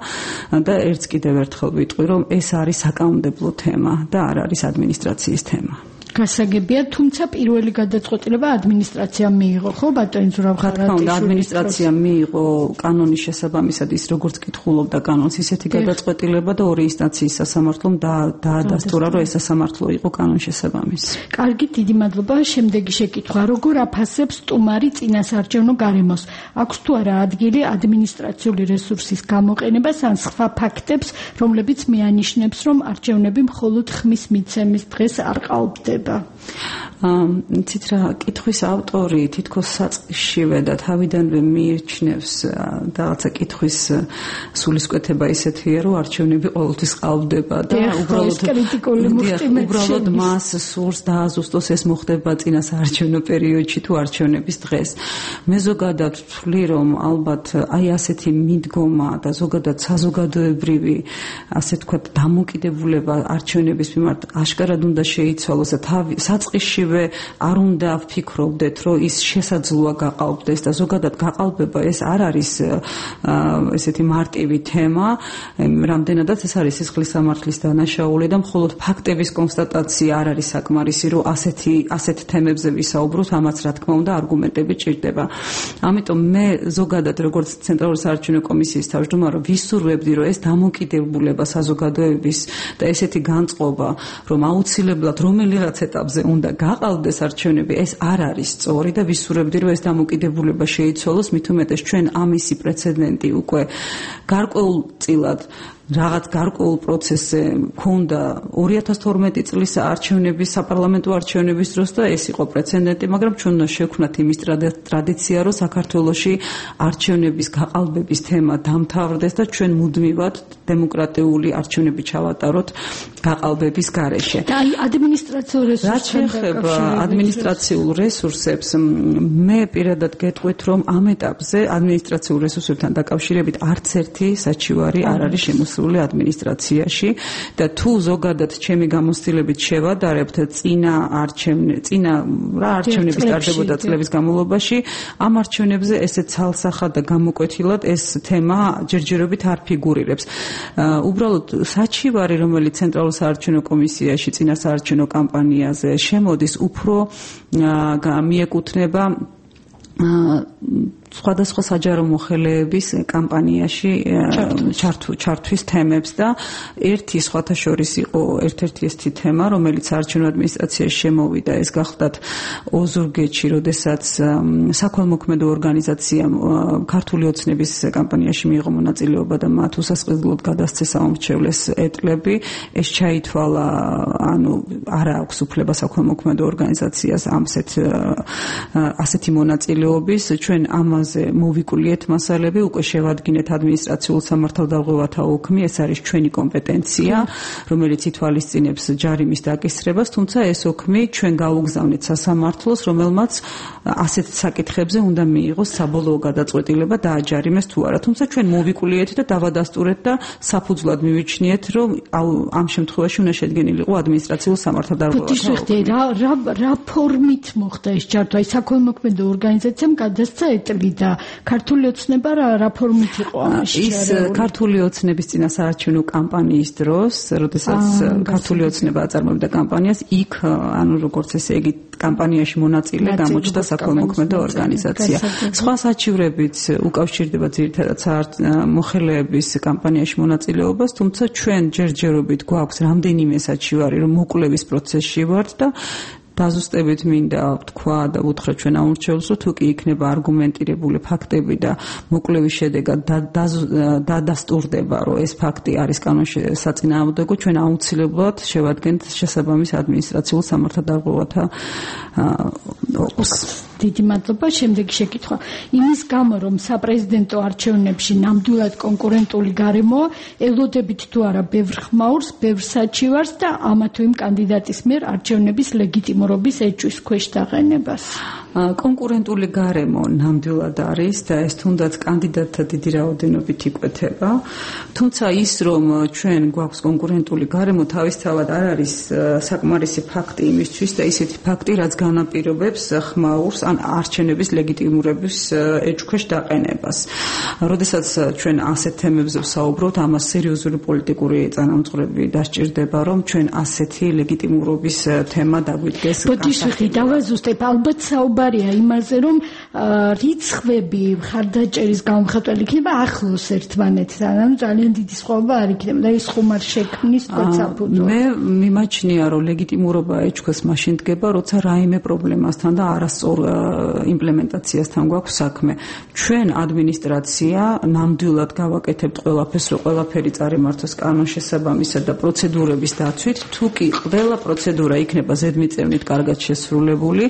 და ერთს კიდევ ერთხელ ვიტყვი, რომ ეს არის საკანონმდებლო თემა და არ არის ადმინისტრაციის თემა. გასაგებია, თუმცა პირველი გადაწყვეტილება ადმინისტრაციამ მიიღო, ხო, ბატონი ზურავხარაძე? რა თქმა უნდა, ადმინისტრაციამ მიიღო კანონის შესაბამისად ის როგორც კითხულობდა კანონს, ისეთი გადაწყვეტილება და ორი ინსტანციის სასამართლომ დაადასტურა, რომ ეს სასამართლო იყო კანონის შესაბამისი. კარგი, დიდი მადლობა. შემდეგი შეკითხვა: როგორ აფასებს სტუმარი წინასაარჩევნო გარემოს? აქვს თუ არა ადგილი ადმინისტრაციული რესურსის გამოყენებას ან სხვა ფაქტებს, რომლებიც მეანიშნებს, რომ არჩევნები მხოლოდ ხმის მიცემის დღეს არ ყალბდება? იცით რა, კითხვის ავტორი თითქოს საწყისშივე და თავიდანვე მიიჩნევს რაღაცა კითხვის სულისკვეთება ისეთია, რომ არჩევნები ყოველთვის ყალბდება და უბრალოდ მას სურს დააზუსტოს ეს მოხდება წინასაარჩევნო პერიოდში თუ არჩევნების დღეს. მე ზოგადად ვთვლი, რომ ალბათ აი ასეთი მიდგომა და ზოგადად საზოგადოებრივი ასე თქვათ დამოკიდებულება არჩევნების მიმართ აშკარად უნდა შეიცვალოს და საწყისშივე არ უნდა ვფიქრობდეთ, რომ ის შესაძლოა გაყალბდეს და ზოგადად გაყალბება ეს არ არის ესეთი მარტივი თემა, რამდენადაც ეს არის სისხლის სამართლის დანაშაული და მხოლოდ ფაქტების კონსტატაცია არ არის საკმარისი, რომ ასეთი ასეთ თემებზე ვისაუბროთ, ამაც რა თქმა უნდა არგუმენტები ჭირდება. ამიტომ მე ზოგადად როგორც ცენტრალური საარჩევნო კომისიის თავმჯდომარე ვისურვებდი, რომ ეს დამოკიდებულება საზოგადოების და ესეთი განწყობა, რომ აუცილებლად რომელიღაც ეტაპზე უნდა გაყალბდეს არჩევნები, ეს არ არის სწორი და ვისურვებდი, რომ ეს დამოკიდებულება შეიცვალოს, მით უმეტეს ჩვენ ამისი პრეცედენტი უკვე გარკვეულწილად რაღაც გარკვეულ პროცესზე მქონდა ორი ათას თორმეტი წლის არჩევნების, საპარლამენტო არჩევნების დროს და ეს იყო პრეცედენტი, მაგრამ ჩვენ უნდა შევქმნათ იმის ტრადიცია, რომ საქართველოში არჩევნების გაყალბების თემა დამთავრდეს და ჩვენ მუდმივად დემოკრატიული არჩევნები ჩავატაროთ გაყალბების გარეშე. და აი ადმინისტრაციულ რესურსებს, რაც შეეხება ადმინისტრაციულ რესურსებს, მე პირადად გეტყვით, რომ ამ ეტაპზე ადმინისტრაციულ რესურსებთან დაკავშირებით არც ერთი საჩივარი არ არის შემოსული ადმინისტრაციაში და თუ ზოგადად ჩემი გამოცდილებით შევადარებთ წინა არჩევნე წინა რა არჩევნების ტარდებოდა წლების განმავლობაში, ამ არჩევნებზე ესე ცალსახად და გამოკვეთილად ეს თემა ჯერჯერობით არ ფიგურირებს. უბრალოდ საჩივარი, რომელიც ცენტრალურ საარჩევნო კომისიაში წინა საარჩევნო კამპანიაზე შემოდის, უფრო მიეკუთვნება სხვადასხვა საჯარო მოხელეების კამპანიაში ჩართვის თემებს და ერთი სხვათა შორის იყო ერთ-ერთი ესეთი თემა, რომელიც საარჩევნო ადმინისტრაციაში შემოვიდა, ეს გახლდათ ოზურგეთში, როდესაც საქველმოქმედო ორგანიზაციამ ქართული ოცნების კამპანიაში მიიღო მონაწილეობა და მათ უსასყიდლოდ გადასცეს აუმრჩევლეს ეტლები, ეს ჩაითვალა, ანუ არ აქვს უფლება საქველმოქმედო ორგანიზაციას ამსეთ ასეთი მონაწილეობის, ჩვენ ამ მოვიკულიეთ მასალები, უკვე შევადგინეთ ადმინისტრაციულ სამართალდაღოვათა ოქმი, ეს არის ჩვენი კომპეტენცია, რომელიც ითვალისწინებს ჯარიმის დაკისრებას, თუმცა ეს ოქმი ჩვენ გავუგზავნეთ სასამართლოს, რომელმაც ასეთ საკითხებზე უნდა მიიღოს საბოლოო გადაწყვეტილება დააჯარიმეს თუ არა, თუმცა ჩვენ მოვიკულიეთ და დავადასტურეთ და საფუძვლად მივიჩნიეთ, რომ ამ შემთხვევაში უნდა შედგენილიყო ადმინისტრაციულ სამართალდაღოვათა ოქმი. რა ფორმით მოხდა ეს ჩართვა? აი საქველმოქმედო ორგანიზაციამ გადასცა ეტლი და ქართული ოცნება რა ფორმით იყო ამაში? ის ქართული ოცნების წინასაარჩევნო კამპანიის დროს, როდესაც ქართული ოცნება აწარმოებდა კამპანიას, იქ ანუ როგორც ესე იგი კამპანიაში მონაწილე გამოჩნდა საქველმოქმედო ორგანიზაცია. სხვა საჩივრებიც უკავშირდება ძირითადად მოხელეების კამპანიაში მონაწილეობას, თუმცა ჩვენ ჯერჯერობით გვაქვს რამდენიმე საჩივარი, რომ მოკვლევის პროცესში ვართ და დაზუსტებით მინდა ვთქვა და უთხრა ჩვენ აუმრჩევლს, რომ თუ კი იქნება არგუმენტირებული ფაქტები და მოკვლევის შედეგად დადასტურდება, რომ ეს ფაქტი არის კანონში საწინააღმდეგო, ჩვენ აუცილებლად შევადგენთ შესაბამის ადმინისტრაციულ სამართალდაღოვათა ოქმს. დიდი მადლობა. შემდეგი შეკითხვა. იმის გამო, რომ საპრეზიდენტო არჩევნებში ნამდვილად კონკურენტული გარემოა, ელოდებით თუ არა ბევრ ხმაურს, ბევრ საჩივარს და ამა თუ იმ კანდიდატის მიერ არჩევნების ლეგიტიმურობის ეჭვის ქვეშ დაყენებას. კონკურენტული გარემო ნამდვილად არის და ეს თუნდაც კანდიდატთა დიდი რაოდენობით იკვეთება. თუმცა ის, რომ ჩვენ გვაქვს კონკურენტული გარემო, თავისთავად არ არის საკმარისი ფაქტი იმისთვის და ისეთი ფაქტი, რაც განაპირობებს ხმაურს ან არჩევნების ლეგიტიმურების ეჭქვეშ დაყენებას. როდესაც ჩვენ ასეთ თემებზე ვსაუბრობთ, ამას სერიოზული პოლიტიკური წინამძღვრები დასჭირდება, რომ ჩვენ ასეთი ლეგიტიმურობის თემა დაგვიდგეს. ბოდიშვილი, დავაზუსტებ, ალბათ საუბარია იმაზე, რომ რიცხვები მხარდაჭერის გამხატველი იქნება ახლოს ერთმანეთთან, ანუ ძალიან დიდი სხვაობა არ იქნება და ეს ხუმარ შექმნის პროცესს. მე მიმაჩნია, რომ ლეგიტიმურობა ეჭქვას მაშინ დგება, როცა რაიმე პრობლემასთან და არასწორ იმპლემენტაციასთან გვაქვს საქმე. ჩვენ ადმინისტრაცია ნამდვილად გავაკეთებთ ყველაფერს, რომ ყველაფერი წარიმართოს კანონშესაბამისად და პროცედურების დაცვით, თუ კი ყველა პროცედურა იქნება ზედმიწევნით კარგად შესრულებული,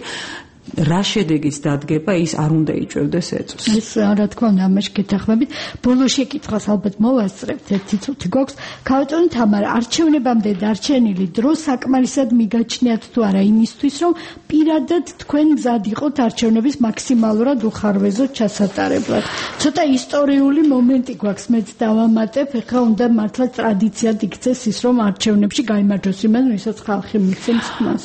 რა შედეგიც დადგება, ის არ უნდა იჭვევდეს ეწვს. ეს რა თქმა უნდა, ამაში გეთანხმებით. ბოლო შეკითხვას ალბათ მოვასწრებთ, ერთი წუთი გვაქვს. ქალბატონო თამარა, არჩევნებამდე დარჩენილი დრო საკმარისად მიგაჩნიათ თუ არა იმისთვის, რომ პირადად თქვენ მზად იყოთ არჩევნების მაქსიმალურად უხარვეზოდ ჩასატარებლად. ცოტა ისტორიული მომენტი გვაქვს, მეც დავამატებ, ეხლა უნდა მართლა ტრადიციად იქცეს ის, რომ არჩევნებში გაიმარჯვოს იმან, ვისაც ხალხი მიცემს ხმას.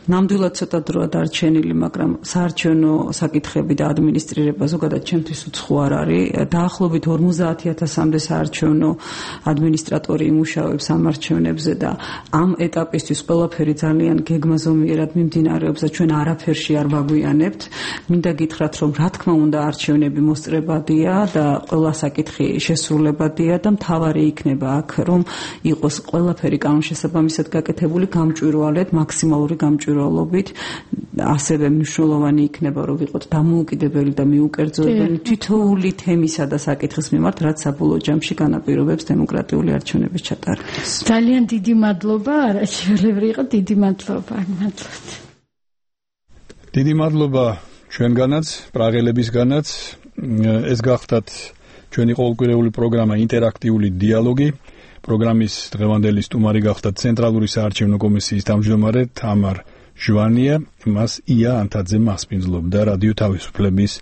ნამდვილად ცოტა დროა დარჩენილი, მაგრამ საარჩევნო საკითხები და ადმინისტრირება ზოგადად ჩემთვის უცხო არ არის. დაახლოებით ორმოცდაათი ათასამდე საარჩევნო ადმინისტრატორი იმუშავებს ამ არჩევნებზე და ამ ეტაპისთვის ყველაფერი ძალიან გეგმაზომიერად მიმდინარეობს და ჩვენ არაფერში არ ვაგვიანებთ. მინდა გითხრათ, რომ რა თქმა უნდა არჩევნები მოსწრებადია და ყველა საკითხი შესრულებადია და მთავარი იქნება აქ, რომ იყოს ყველაფერი კანონშესაბამისად გაკეთებული გამჭვირვალედ, მაქსიმალური გამჭვირვალედ. ასევე მნიშვნელოვანი იქნება, რომ ვიყოთ დამოუკიდებელი და მიუკერძოებელი თითოეული თემისა და საკითხის მიმართ, რაც საბოლოო ჯამში განაპირობებს დემოკრატიული არჩევნების ჩატარებას. ძალიან დიდი მადლობა, არაჩვეულებრივი იყო, დიდი მადლობა, მადლობთ. დიდი მადლობა ჩვენგანაც, პრაღელებისგანაც. ეს გახდათ ჩვენი ყოველკვირეული პროგრამა ინტერაქტიული დიალოგი. პროგრამის დღევანდელი სტუმარი გახდათ ცენტრალური საარჩევნო კომისიის თავმჯდომარე თამარ ჟვანია, მას ია ანთაძე მასპინძლობდა რადიო თავისუფლების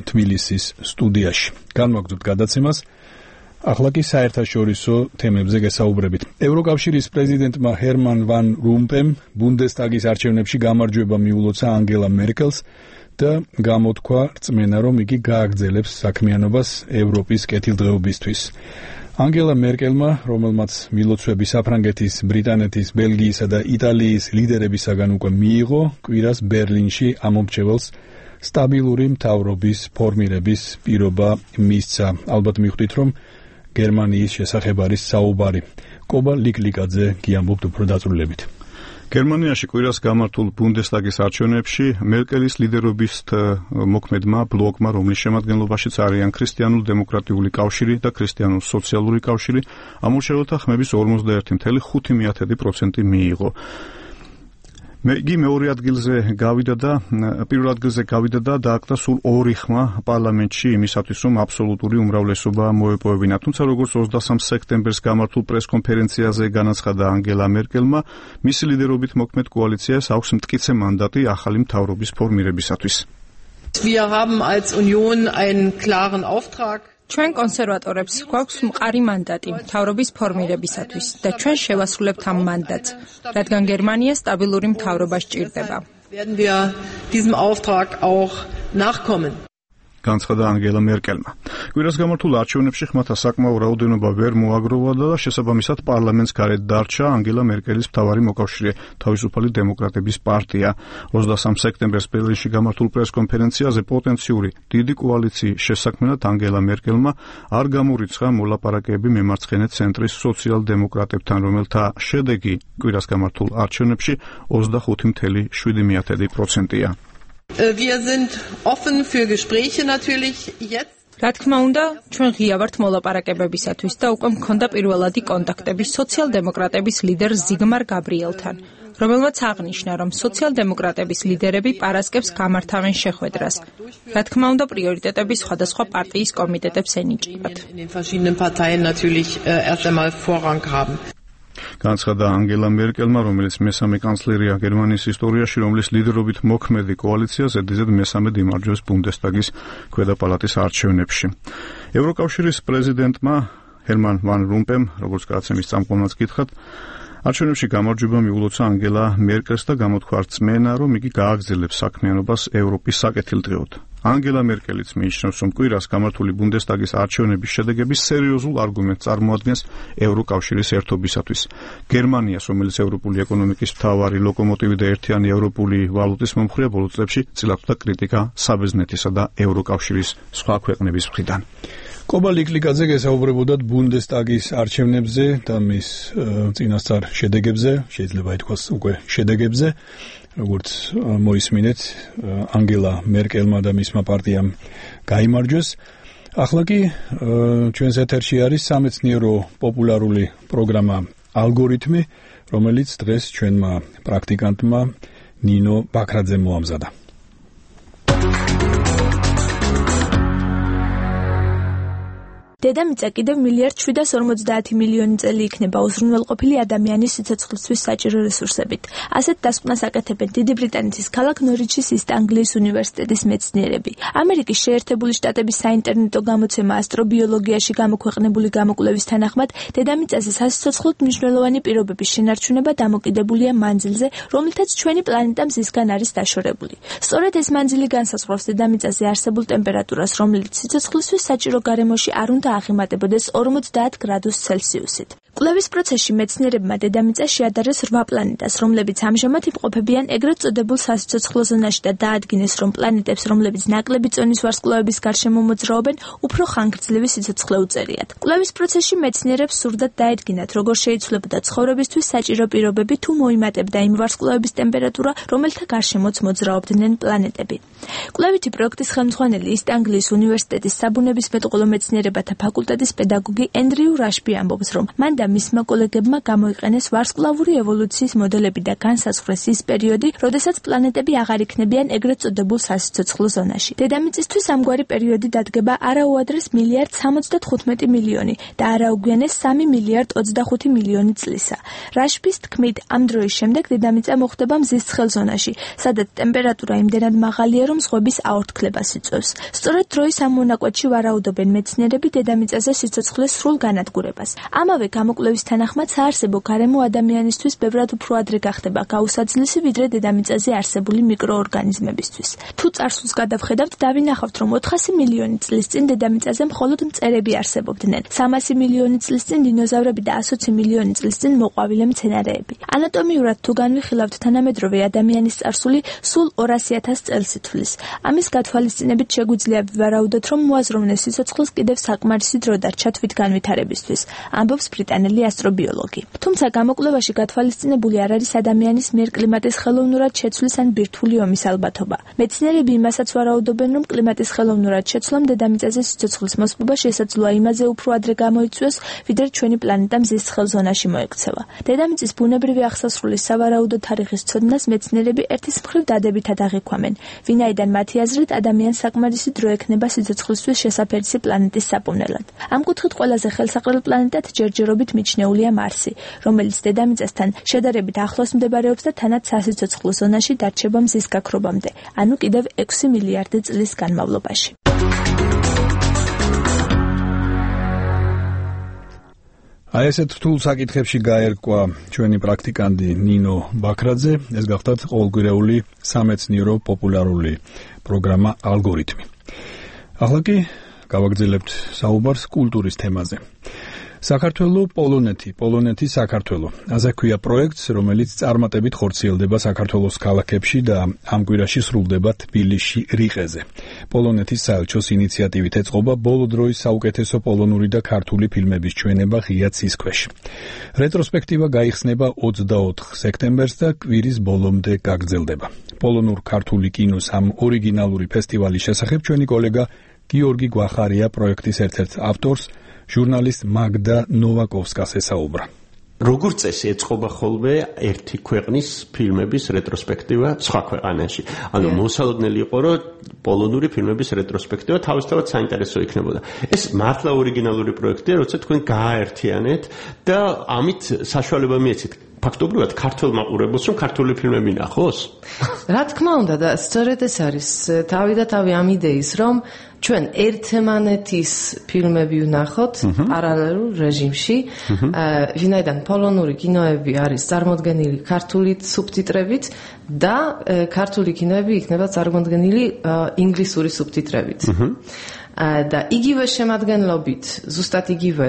თბილისის სტუდიაში. განვაგრძობთ გადაცემას. ახლა კი საერთაშორისო თემებზე გესაუბრებით. ევროკავშირის პრეზიდენტმა ჰერმან ვან რომპემ ბუნდესტაგის არჩევნებში გამარჯვება მიულოცა ანგელა მერკელს და გამოთქვა რწმენა, რომ იგი გააგრძელებს საქმიანობას ევროპის კეთილდღეობისთვის. ანგელა მერკელმა, რომელმაც მილოცვები საფრანგეთის, ბრიტანეთის, ბელგიისა და იტალიის ლიდერებისაგან უკვე მიიღო, კვირას ბერლინში ამომრჩეველს სტაბილური მთავრობის ფორმირების პირობა მისცა. ალბათ მიხვდით, რომ გერმანიის შესახებ არის საუბარი. კობა ლიკლიკაძე გიამბობთ უფრო დაწვრილებით. გერმანიაში კვირას გამართულ ბუნდესტაგის არჩევნებში მერკელის ლიდერობის მოქმედმა ბლოკმა, რომლის შემადგენლობაშიც არიან ქრისტიანულ დემოკრატიული კავშირი და ქრისტიანულ სოციალური კავშირი, ამორჩეველთა ხმების ორმოცდაერთი ფاصლე ხუთი პროცენტი მიიღო. იგი მეორე ადგილზე გავიდა და პირველ ადგილზე გავიდა და დააკრა სულ ორი ხმა პარლამენტში იმისათვის, რომ აბსოლუტური უმრავლესობა მოეპოვებინა. თუმცა როგორც ოცდასამ სექტემბერს გამართულ პრესკონფერენციაზე განაცხადა ანგელა მერკელმა, მისი ლიდერობით მოქმედ კოალიციას აქვს მტკიცე მანდატი ახალი მთავრობის ფორმირებისათვის. Wir haben als Union einen klaren Auftrag. ჩვენ კონსერვატორებს გვაქვს მყარი მანდატი მთავრობის ფორმირებისათვის და ჩვენ შევასრულებთ ამ მანდატს, რადგან გერმანია სტაბილური მთავრობა სჭირდება. Werden wir diesem Auftrag auch nachkommen. განცხადა ანგელა მერკელმა. კვირას გამართულ არჩევნებში ხმათა საკმაო რაოდენობა ვერ მოაგროვა და შესაბამისად პარლამენტს გარეთ დარჩა ანგელა მერკელის მთავარი მოკავშირე თავისუფალი დემოკრატების პარტია. ოცდასამ სექტემბერს ბერლინში გამართულ პრესკონფერენციაზე პოტენციური დიდი კოალიციის შესაქმნელად ანგელა მერკელმა არ გამორიცხა მოლაპარაკეები მემარცხენე ცენტრის სოციალ-დემოკრატებთან, რომელთა შედეგი კვირას გამართულ არჩევნებში ოცდახუთი ფاصლე შვიდი პროცენტია. Wir sind offen für Gespräche natürlich jetzt. რა თქმა უნდა, ჩვენ ღია ვართ მოლაპარაკებებისათვის და უკვე მქონდა პირველადი კონტაქტები სოციალ-დემოკრატების ლიდერ ზიგმარ გაბრიელთან. რომელმაც აღნიშნა, რომ სოციალ-დემოკრატების ლიდერები პარასკევს გამართავენ შეხვედრას. რა თქმა უნდა, პრიორიტეტები სხვადასხვა პარტიის კომიტეტებს ენიჭებათ. განცხადა ანგელა მერკელმა, რომელიც მესამე კანცლერია გერმანიის ისტორიაში, რომლის ლიდერობით მოქმედი კოალიცია ზედიზედ მესამედ იმარჯვებს ბუნდესტაგის ქვედა პალატის არჩევნებში. ევროკავშირის პრეზიდენტმა ჰერმან ვან რომპემ, როგორც გადაცემის წამყვანად გითხრათ, არჩევნებში გამარჯვება მიულოცა ანგელა მერკელს და გამოთქვა რწმენა, რომ იგი გააგრძელებს საქმიანობას ევროპის საკეთილდღეოდ. ანგელა მერკელიც მიიჩნევს, რომ კვირას გამართული ბუნდესტაგის არჩევნების შედეგები სერიოზულ არგუმენტს წარმოადგენს ევროკავშირის ერთობისათვის. გერმანიას, რომელიც ევროპული ეკონომიკის მთავარი ლოკომოტივი და ერთიანი ევროპული ვალუტის მომხრეა, ბოლო წლებში წილაკდა კრიტიკა საბერძნეთისა და ევროკავშირის სხვა ქვეყნების მხრიდან. კობა ლიკლიკაძე გესაუბრებოდათ ბუნდესტაგის არჩევნებზე და მის წინასწარ შედეგებზე, შეიძლება ითქვას უკვე შედეგებზე, როგორც მოისმინეთ, ანგელა მერკელმა და მისმა პარტიამ გაიმარჯვეს. ახლა კი ჩვენს ეთერში არის სამეცნიერო პოპულარული პროგრამა ალგორითმი, რომელიც დღეს ჩვენმა პრაქტიკანტმა ნინო ბაქრაძემ მოამზადა. დედამიწა კიდევ მილიარდ შვიდას ორმოცდაათი მილიონი წელი იქნება უზრუნველყოფილი ადამიანის სიცოცხლისთვის საჭირო რესურსებით. ასეთ დასკვნას აკეთებენ დიდი ბრიტანეთის ქალაქ ნორიჩის ისტ ანგლიის უნივერსიტეტის მეცნიერები. ამერიკის შეერთებული შტატების საინტერნეტო გამოცემა ასტრობიოლოგიაში გამოქვეყნებული გამოკვლევის თანახმად, დედამიწაზე სასიცოცხლოდ მნიშვნელოვანი პირობების შენარჩუნება დამოკიდებულია მანძილზე, რომლითაც ჩვენი პლანეტა მზისგან არის დაშორებული. სწორედ ეს მანძილი განსაზღვრავს დედამიწაზე არსებულ ტემპერატურას, რომელიც სიცოცხლისთვის საჭირო გარემოში არ უნდა აღემატებოდეს ორმოცდაათ გრადუს ცელსიუსით. კვლევის პროცესში მეცნიერებმა დედამიწას შეადარეს რვა პლანეტას, რომლებიც ამჟამად იმყოფებიან ეგრეთ წოდებულ სასიცოცხლო ზონაში და დაადგინეს, რომ პლანეტებს, რომლებიც ნაკლები წონის ვარსკვლავების გარშემო მოძრაობენ, უფრო ხანგრძლივი სიცოცხლე უწერიათ. კვლევის პროცესში მეცნიერებს სურდათ დაედგინათ, როგორ შეიცვლებოდა ცხოვრებისთვის საჭირო პირობები თუ მოიმატებდა იმ ვარსკვლავების ტემპერატურა, რომელთა გარშემოც მოძრაობდნენ პლანეტები. კვლევითი პროექტის ხელმძღვანელი ისტ ანგლიის უნივერსიტეტის საბუნებისმეტყველო მეცნიერებათა ფაკულტეტის პედაგოგი ენდრიუ რაშბი ამბობს, რომ მან და მისმა კოლეგებმა გამოიყენეს ვარსკვლავური ევოლუციის მოდელები და განსაზღვრეს ის პერიოდი, როდესაც პლანეტები აღარ იქნებიან ეგრეთ წოდებულ სასიცოცხლო ზონაში. დედამიწისთვის ამგვარი პერიოდი დადგება არაუადრეს მილიარდ სამოცდათხუთმეტი მილიონი და არაუგვიანეს სამი მილიარდ ოცდახუთი მილიონი წლისა. რაშბის თქმით, ამ დროის შემდეგ დედამიწა მოხდება მზის ცხელ ზონაში, სადაც ტემპერატურა იმდენად მაღალია, რომ ზღვების აორთქლებას იწვევს. სწორედ დროის ამ მონაკვეთში ვარაუდობენ მეცნიერები დედამიწაზე სიცოცხლის სრულ განადგურებას. ამავე გამოკვლევის თანახმად საარსებო გარემო ადამიანისთვის ბევრად უფრო ადრე გახდება გაუსაძლისი, ვიდრე დედამიწაზე არსებული მიკროორგანიზმებისთვის. თუ წარსულს გადავხედავთ, დავინახავთ, რომ ოთხასი მილიონი წლის წინ დედამიწაზე მხოლოდ მწერები არსებობდნენ. სამასი მილიონი წლის წინ დინოზავრები და ასოცი მილიონი წლის წინ მოყვავილე მცენარეები. ანატომიურად თუ განვიხილავთ, თანამედროვე ადამიანის წარსული სულ ორასი ათას წელს ითვლის. ამის გათვალისწინებით შეგვიძლია ვივარაუდოთ, რომ მოაზროვნე სიცოცხლეს კიდევ საკმარისი დრო დარჩა თვით განვითარებისთვის, ამბობს ბრიტანელი ასტრობიოლოგი. თუმცა გამოკვლევაში გათვალისწინებული არ არის ადამიანის მიერ კლიმატის ხელოვნურად შეცვლის ან ბირთვული ომის ალბათობა. მეცნიერები იმასაც ვარაუდობენ, რომ კლიმატის ხელოვნურად შეცვლამ დედამიწაზე სიცოცხლის მოსპობა შესაძლოა იმაზე უფრო ადრე გამოიწვიოს, ვიდრე ჩვენი პლანეტა მზის ცხელ ზონაში მოექცევა. დედამიწის ბუნებრივი აღსასრულის სავარაუდო თარიღის ცოდნას მეცნიერები ერთის მხრივ დადებითად აღიქვამენ, ვინაიდან მათი აზრით ადამიანს საკმარისი დრო ექნება სიცოცხლისთვის შესაფერისი პლანეტის საპოვნელად. ამ კუთხით ყველაზე ხელსაყრელ პლანეტად ჯერჯერობით მიჩნეულია მარსი, რომელიც დედამიწასთან შედარებით ახლოს მდებარეობს და თანაც სასიცოცხლო ზონაში დარჩება მზის გაქრობამდე, ანუ კიდევ ექვსი მილიარდი წლის განმავლობაში. აი ესეთ რთულ საკითხებში გაერკვა ჩვენი პრაქტიკანტი ნინო ბაქრაძე, ეს გახლდათ ყოველკვირეული სამეცნიერო პოპულარული პროგრამა ალგორითმი. ახლა კი გავაგრძელებთ საუბარს კულტურის თემაზე. საქართველო პოლონეთი, პოლონეთი საქართველო. ასე ქვია პროექტს, რომელიც წარმატებით ხორციელდება საქართველოს ქალაქებში და ამ კვირაში სრულდება თბილისში რიყეზე. პოლონეთის საელჩოს ინიციატივით ეწყობა ბოლო დროის საუკეთესო პოლონური და ქართული ფილმების ჩვენება ღია ცის ქვეშ. რეტროსპექტივა გაიხსნება ოცდაოთხ სექტემბერს და კვირის ბოლომდე გაგრძელდება. პოლონურ-ქართული კინოს ამ ორიგინალური ფესტივალის შესახებ ჩვენი კოლეგა გიორგი გვახარია პროექტის ერთ-ერთ ავტორს, ჟურნალისტ მაგდა ნოვაკოვსკას ესაუბრა. როგორ წესი ეწყობა ხოლმე ერთი ქვეყნის ფილმების რეტროსპექტივა სხვა ქვეყანაში. ანუ მოსალოდნელი იყო, რომ პოლონური ფილმების რეტროსპექტივა თავისთავად საინტერესო იქნებოდა. ეს მართლა ორიგინალური პროექტია, როცა თქვენ გააერთიანეთ და ამით საშუალება მიეცით ფაქტობრივად ქართულ მაყურებელს, რომ ქართული ფილმები ნახოს? რა თქმა უნდა და სწორედ ეს არის თავი და თავი ამ იდეის, რომ ჩვენ ერთმანეთის ფილმები ვნახოთ პარალელურ რეჟიმში, ვინაიდან პოლონური კინოები არის წარმოდგენილი ქართული სუბტიტრებით და ქართული კინოები იქნება წარმოდგენილი ინგლისური სუბტიტრებით. და იგივე შემადგენლობით, ზუსტად იგივე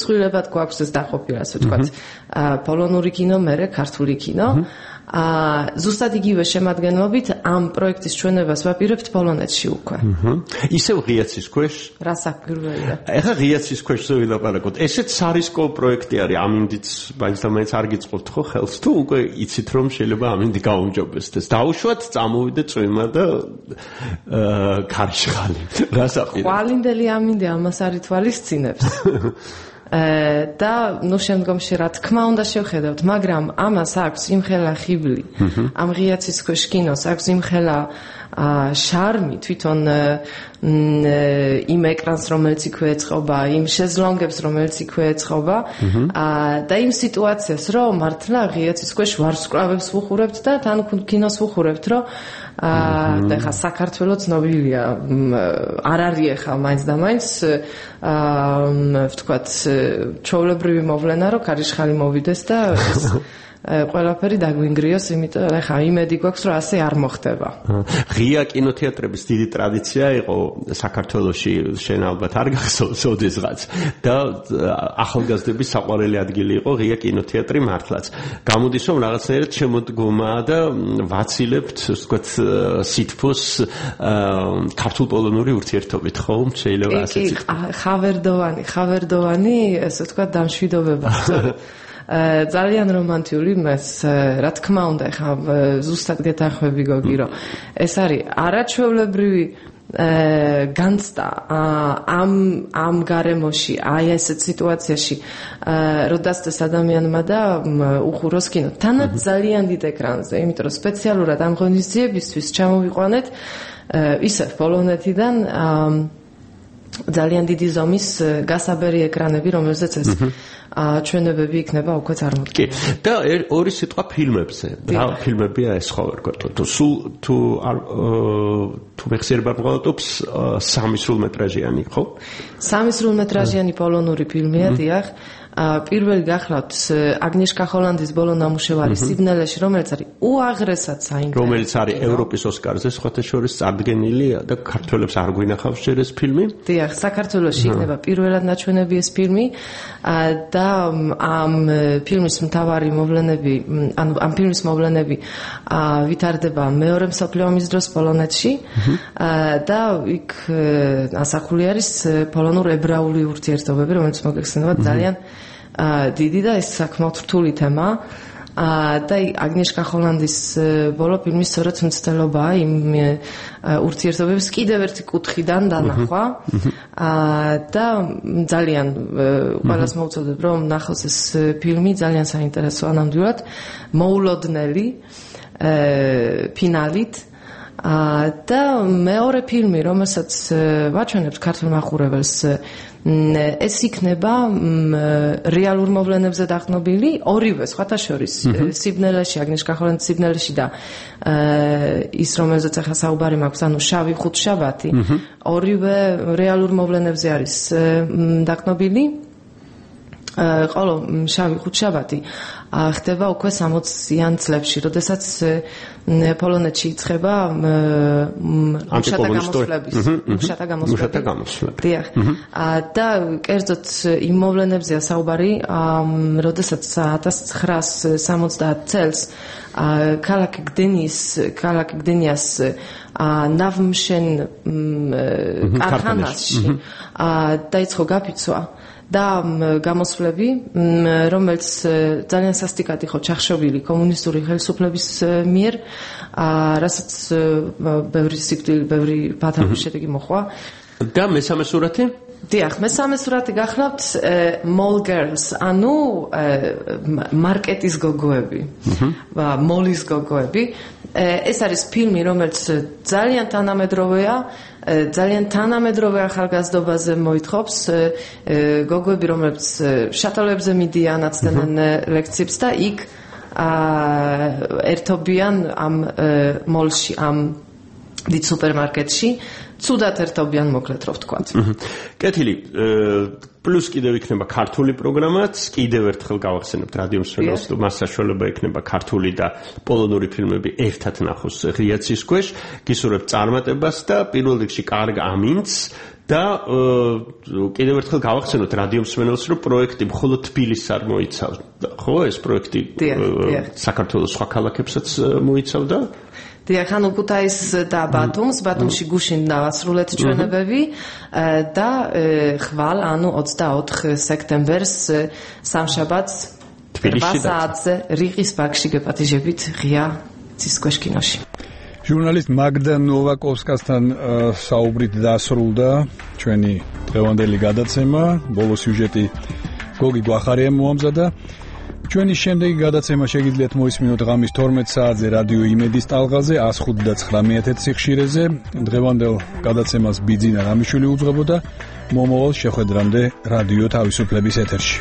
ცვლილებად გვაქვს ეს დაყოფილი, ასე ვთქვათ, პოლონური კინო, მერე ქართული კინო. ზუსტად იგივე შემადგენლობით ამ პროექტის ჩვენებას ვაპირებთ პოლონეთში უკვე. ისევ ღიაცის ქვეშ? რა საქმეა? ეხლა ღიაცის ქვეშ ვილაპარაკოთ. ესეც სარისკო პროექტი არის, ამინდიც მაინც და მაინც არ გიწყობთ ხო ხელს თუ უკვე იცით რომ შეიძლება ამინდი გაუმჯობესდეს. დაუშვათ, წამოვიდე წვიმა და ქარიშხალი. რა საყიდე? ყვალინდელი ამინდი ამას არ ითვალისწინებს. და ნუ შემდგომში რა თქმა უნდა შევხედავთ, მაგრამ ამას აქვს იმხელა ხიბლი. ამ ღიაცის ქვეშ კინოს აქვს იმხელა შარმი თვითონ იმ ეკრანს, რომელიც იქვე ეწყობა, იმ შეზლონგებს, რომელიც იქვე ეწყობა და იმ სიტუაციას, რომ მართლა ღიაცის ქვეშ ვარსკვლავებს ვუხურებთ და თან კინოს ვუხურებთ, რომ და ხა საქართველო ცნობილია, არ არის ხა მაინც და მაინც ვთქვათ ჩვეულებრივი მოვლენა, რომ ქარიშხალი მოვიდეს და ყველაფერი დაგვინგრიოს, იმიტომ ხა იმედი გვაქვს, რომ ასე არ მოხდება. ღია კინოთეატრების დიდი ტრადიცია იყო საქართველოში, შენ ალბათ არ გახსოვს ოდესღაც და ახალგაზრდების საყვარელი ადგილი იყო ღია კინოთეატრი მართლაც. გამოდის რომ რაღაცნაირად შემოდგომაა და ვაცილებთ, ვთქვათ, სითბოს ქართულ-პოლონური ურთიერთობით, ხო? შეიძლება ასეც იყოს. ხავერდოვანი, ხავერდოვანი, ესე ვთქვათ, დამშვიდობება. ძალიან რომანტიული მას, რა თქმა უნდა, ხა ზუსტად გეთანხმები გოგი, რომ ეს არის არაჩვეულებრივი განცდა ამ ამ გარემოში, აი ესეთ სიტუაციაში, რომ დასწრეს ადამიანმა და უხუროს კინო. თანაც ძალიან დიდ ეკრანზე, იმიტომ რომ სპეციალურად ამ ღონისძიებისთვის ჩამოვიყვანეთ ისევ პოლონეთიდან ძალიან დიდი ზომის გასაბერი ეკრანები, რომელზეც ეს ჩვენებები იქნება უკვე წარმოდგენილი. და ორი სიტყვა ფილმებზე. რა ფილმებია ეს ხო ვერქვა? თუ სულ თუ თუ მეხსიერება მყავდობს სამი სრულმეტრაჟიანი, ხო? სამი სრულმეტრაჟიანი პოლონური ფილმია, დიახ. პირველი გახლავთ აგნიეშკა ჰოლანდის ბოლო ნამუშევარი სიბნელეში, რომელიც არის უაღრესად საინტერესო. რომელიც არის ევროპის ოსკარზე სხვათა შორის წარდგენილი და ქართველებს არ გვინახავს ჯერ ეს ფილმი. დიახ, საქართველოში იქნება პირველად ნაჩვენები ეს ფილმი და ამ ფილმის მთავარი მოვლენები, ანუ ამ ფილმის მოვლენები ვითარდება მეორე მსოფლიო ომის დროს პოლონეთში და იქ ასახული არის პოლონურ-ებრაული ურთიერთობები, რომელიც მოგეხსენებათ ძალიან დიდი და ეს საკმაოდ რთული თემაა. და აგნიეშკა ჰოლანდის ბოლო ფილმის სწორედ მცდელობაა იმ ურთიერთობების კიდევ ერთი კუთხიდან დანახვა და ძალიან ყველას მოვუწოდებ, რომ ნახოს ეს ფილმი, ძალიან საინტერესოა ნამდვილად, მოულოდნელი ფინალით. და მეორე ფილმი, რომელსაც ვაჩვენებთ ქართულ მაყურებელს, ეს იქნება რეალურ მოვლენებზე დაყრდნობილი, ორივე სხვათა შორის სიბნელეში, აგნიეშკა ჰოლანდის სიბნელეში და ის, რომელზეც ახლა საუბარი მაქვს, ანუ შავი ხუთშაბათი, ორივე რეალურ მოვლენებზე არის დაყრდნობილი. ყოლო შავი ხუთშაბათი ხდება უკვე სამოციან წლებში, როდესაც პოლონეთში იწყება მუშათა გამოსვლების, მუშათა გამოსვლები. დიახ. და კერძოდ იმ მოვლენებზეა საუბარი, როდესაც ათას ცხრაასი სამოცდაათ წელს ქალაქი გდენის, ქალაქი გდენიას ნავმშენ კარხანაში დაიწყო გაფიცვა და გამოსვლები, რომელიც ძალიან სასტიკად იყო ჩახშობილი კომუნისტური ხელისუფლების მიერ, რასაც ბევრი სიკვდილი, ბევრი ბათაობის შედეგი მოჰყვა. და მესამე სურათი? დიახ, მესამე სურათი გახლავთ Mall Girls, ანუ მარკეტის გოგოები, მოლის გოგოები. ეს არის ფილმი, რომელიც ძალიან თანამედროვეა, ძალიან თანამედროვე ახალგაზრდობაზე მოითხოვს, გოგოები, რომლებიც შატალებზე მიდიან, აცდენენ ლექციებს და იქ ერთობიან ამ მოლში, ამ დიდ სუპერმარკეტში, ცუდად ერთობიან, მოკლედ რო ვთქვათ. კეთილი, პლუს კიდევ იქნება ქართული პროგრამაც, კიდევ ერთხელ გავახსენებთ რადიო მსმენელს, თუ მას საშუალება ექნება ქართული და პოლონური ფილმები ერთად ნახოს ღია ცის ქვეშ, გისურვებთ წარმატებას და პირველ რიგში კარგ ამინდს და კიდევ ერთხელ გავახსენოთ რადიო მსმენელს, რომ პროექტი მხოლოდ თბილისს არ მოიცავს. ხო, ეს პროექტი საქართველოს სხვა ქალაქებსაც მოიცავდა? დიახ, ანუ ქუთაის და ბათუმს, ბათუმში გუშინ დავასრულეთ ჩვენებები და ხვალ, ანუ ოცდაოთხ სექტემბერს სამშაბათს თბილისში საათზე რიყის ბაღში გეპატიჟებით ღია ცის ქვეშ კინოში. ჟურნალისტ მაგდა ნოვაკოვსკასთან საუბრით დასრულდა ჩვენი დღევანდელი გადაცემა. ბოლო სიუჟეტი გოგი გვახარიამ მოამზადა. ჩვენი შემდეგი გადაცემა შეგიძლიათ მოისმინოთ ღამის თორმეტ საათზე რადიო იმედის ტალღაზე one oh five nine მეათე სიხშირეზე. დღევანდელ გადაცემას ბიძინა რამიშვილი უძღვებოდა. მომავალ შეხვედრამდე რადიო თავისუფლების ეთერში.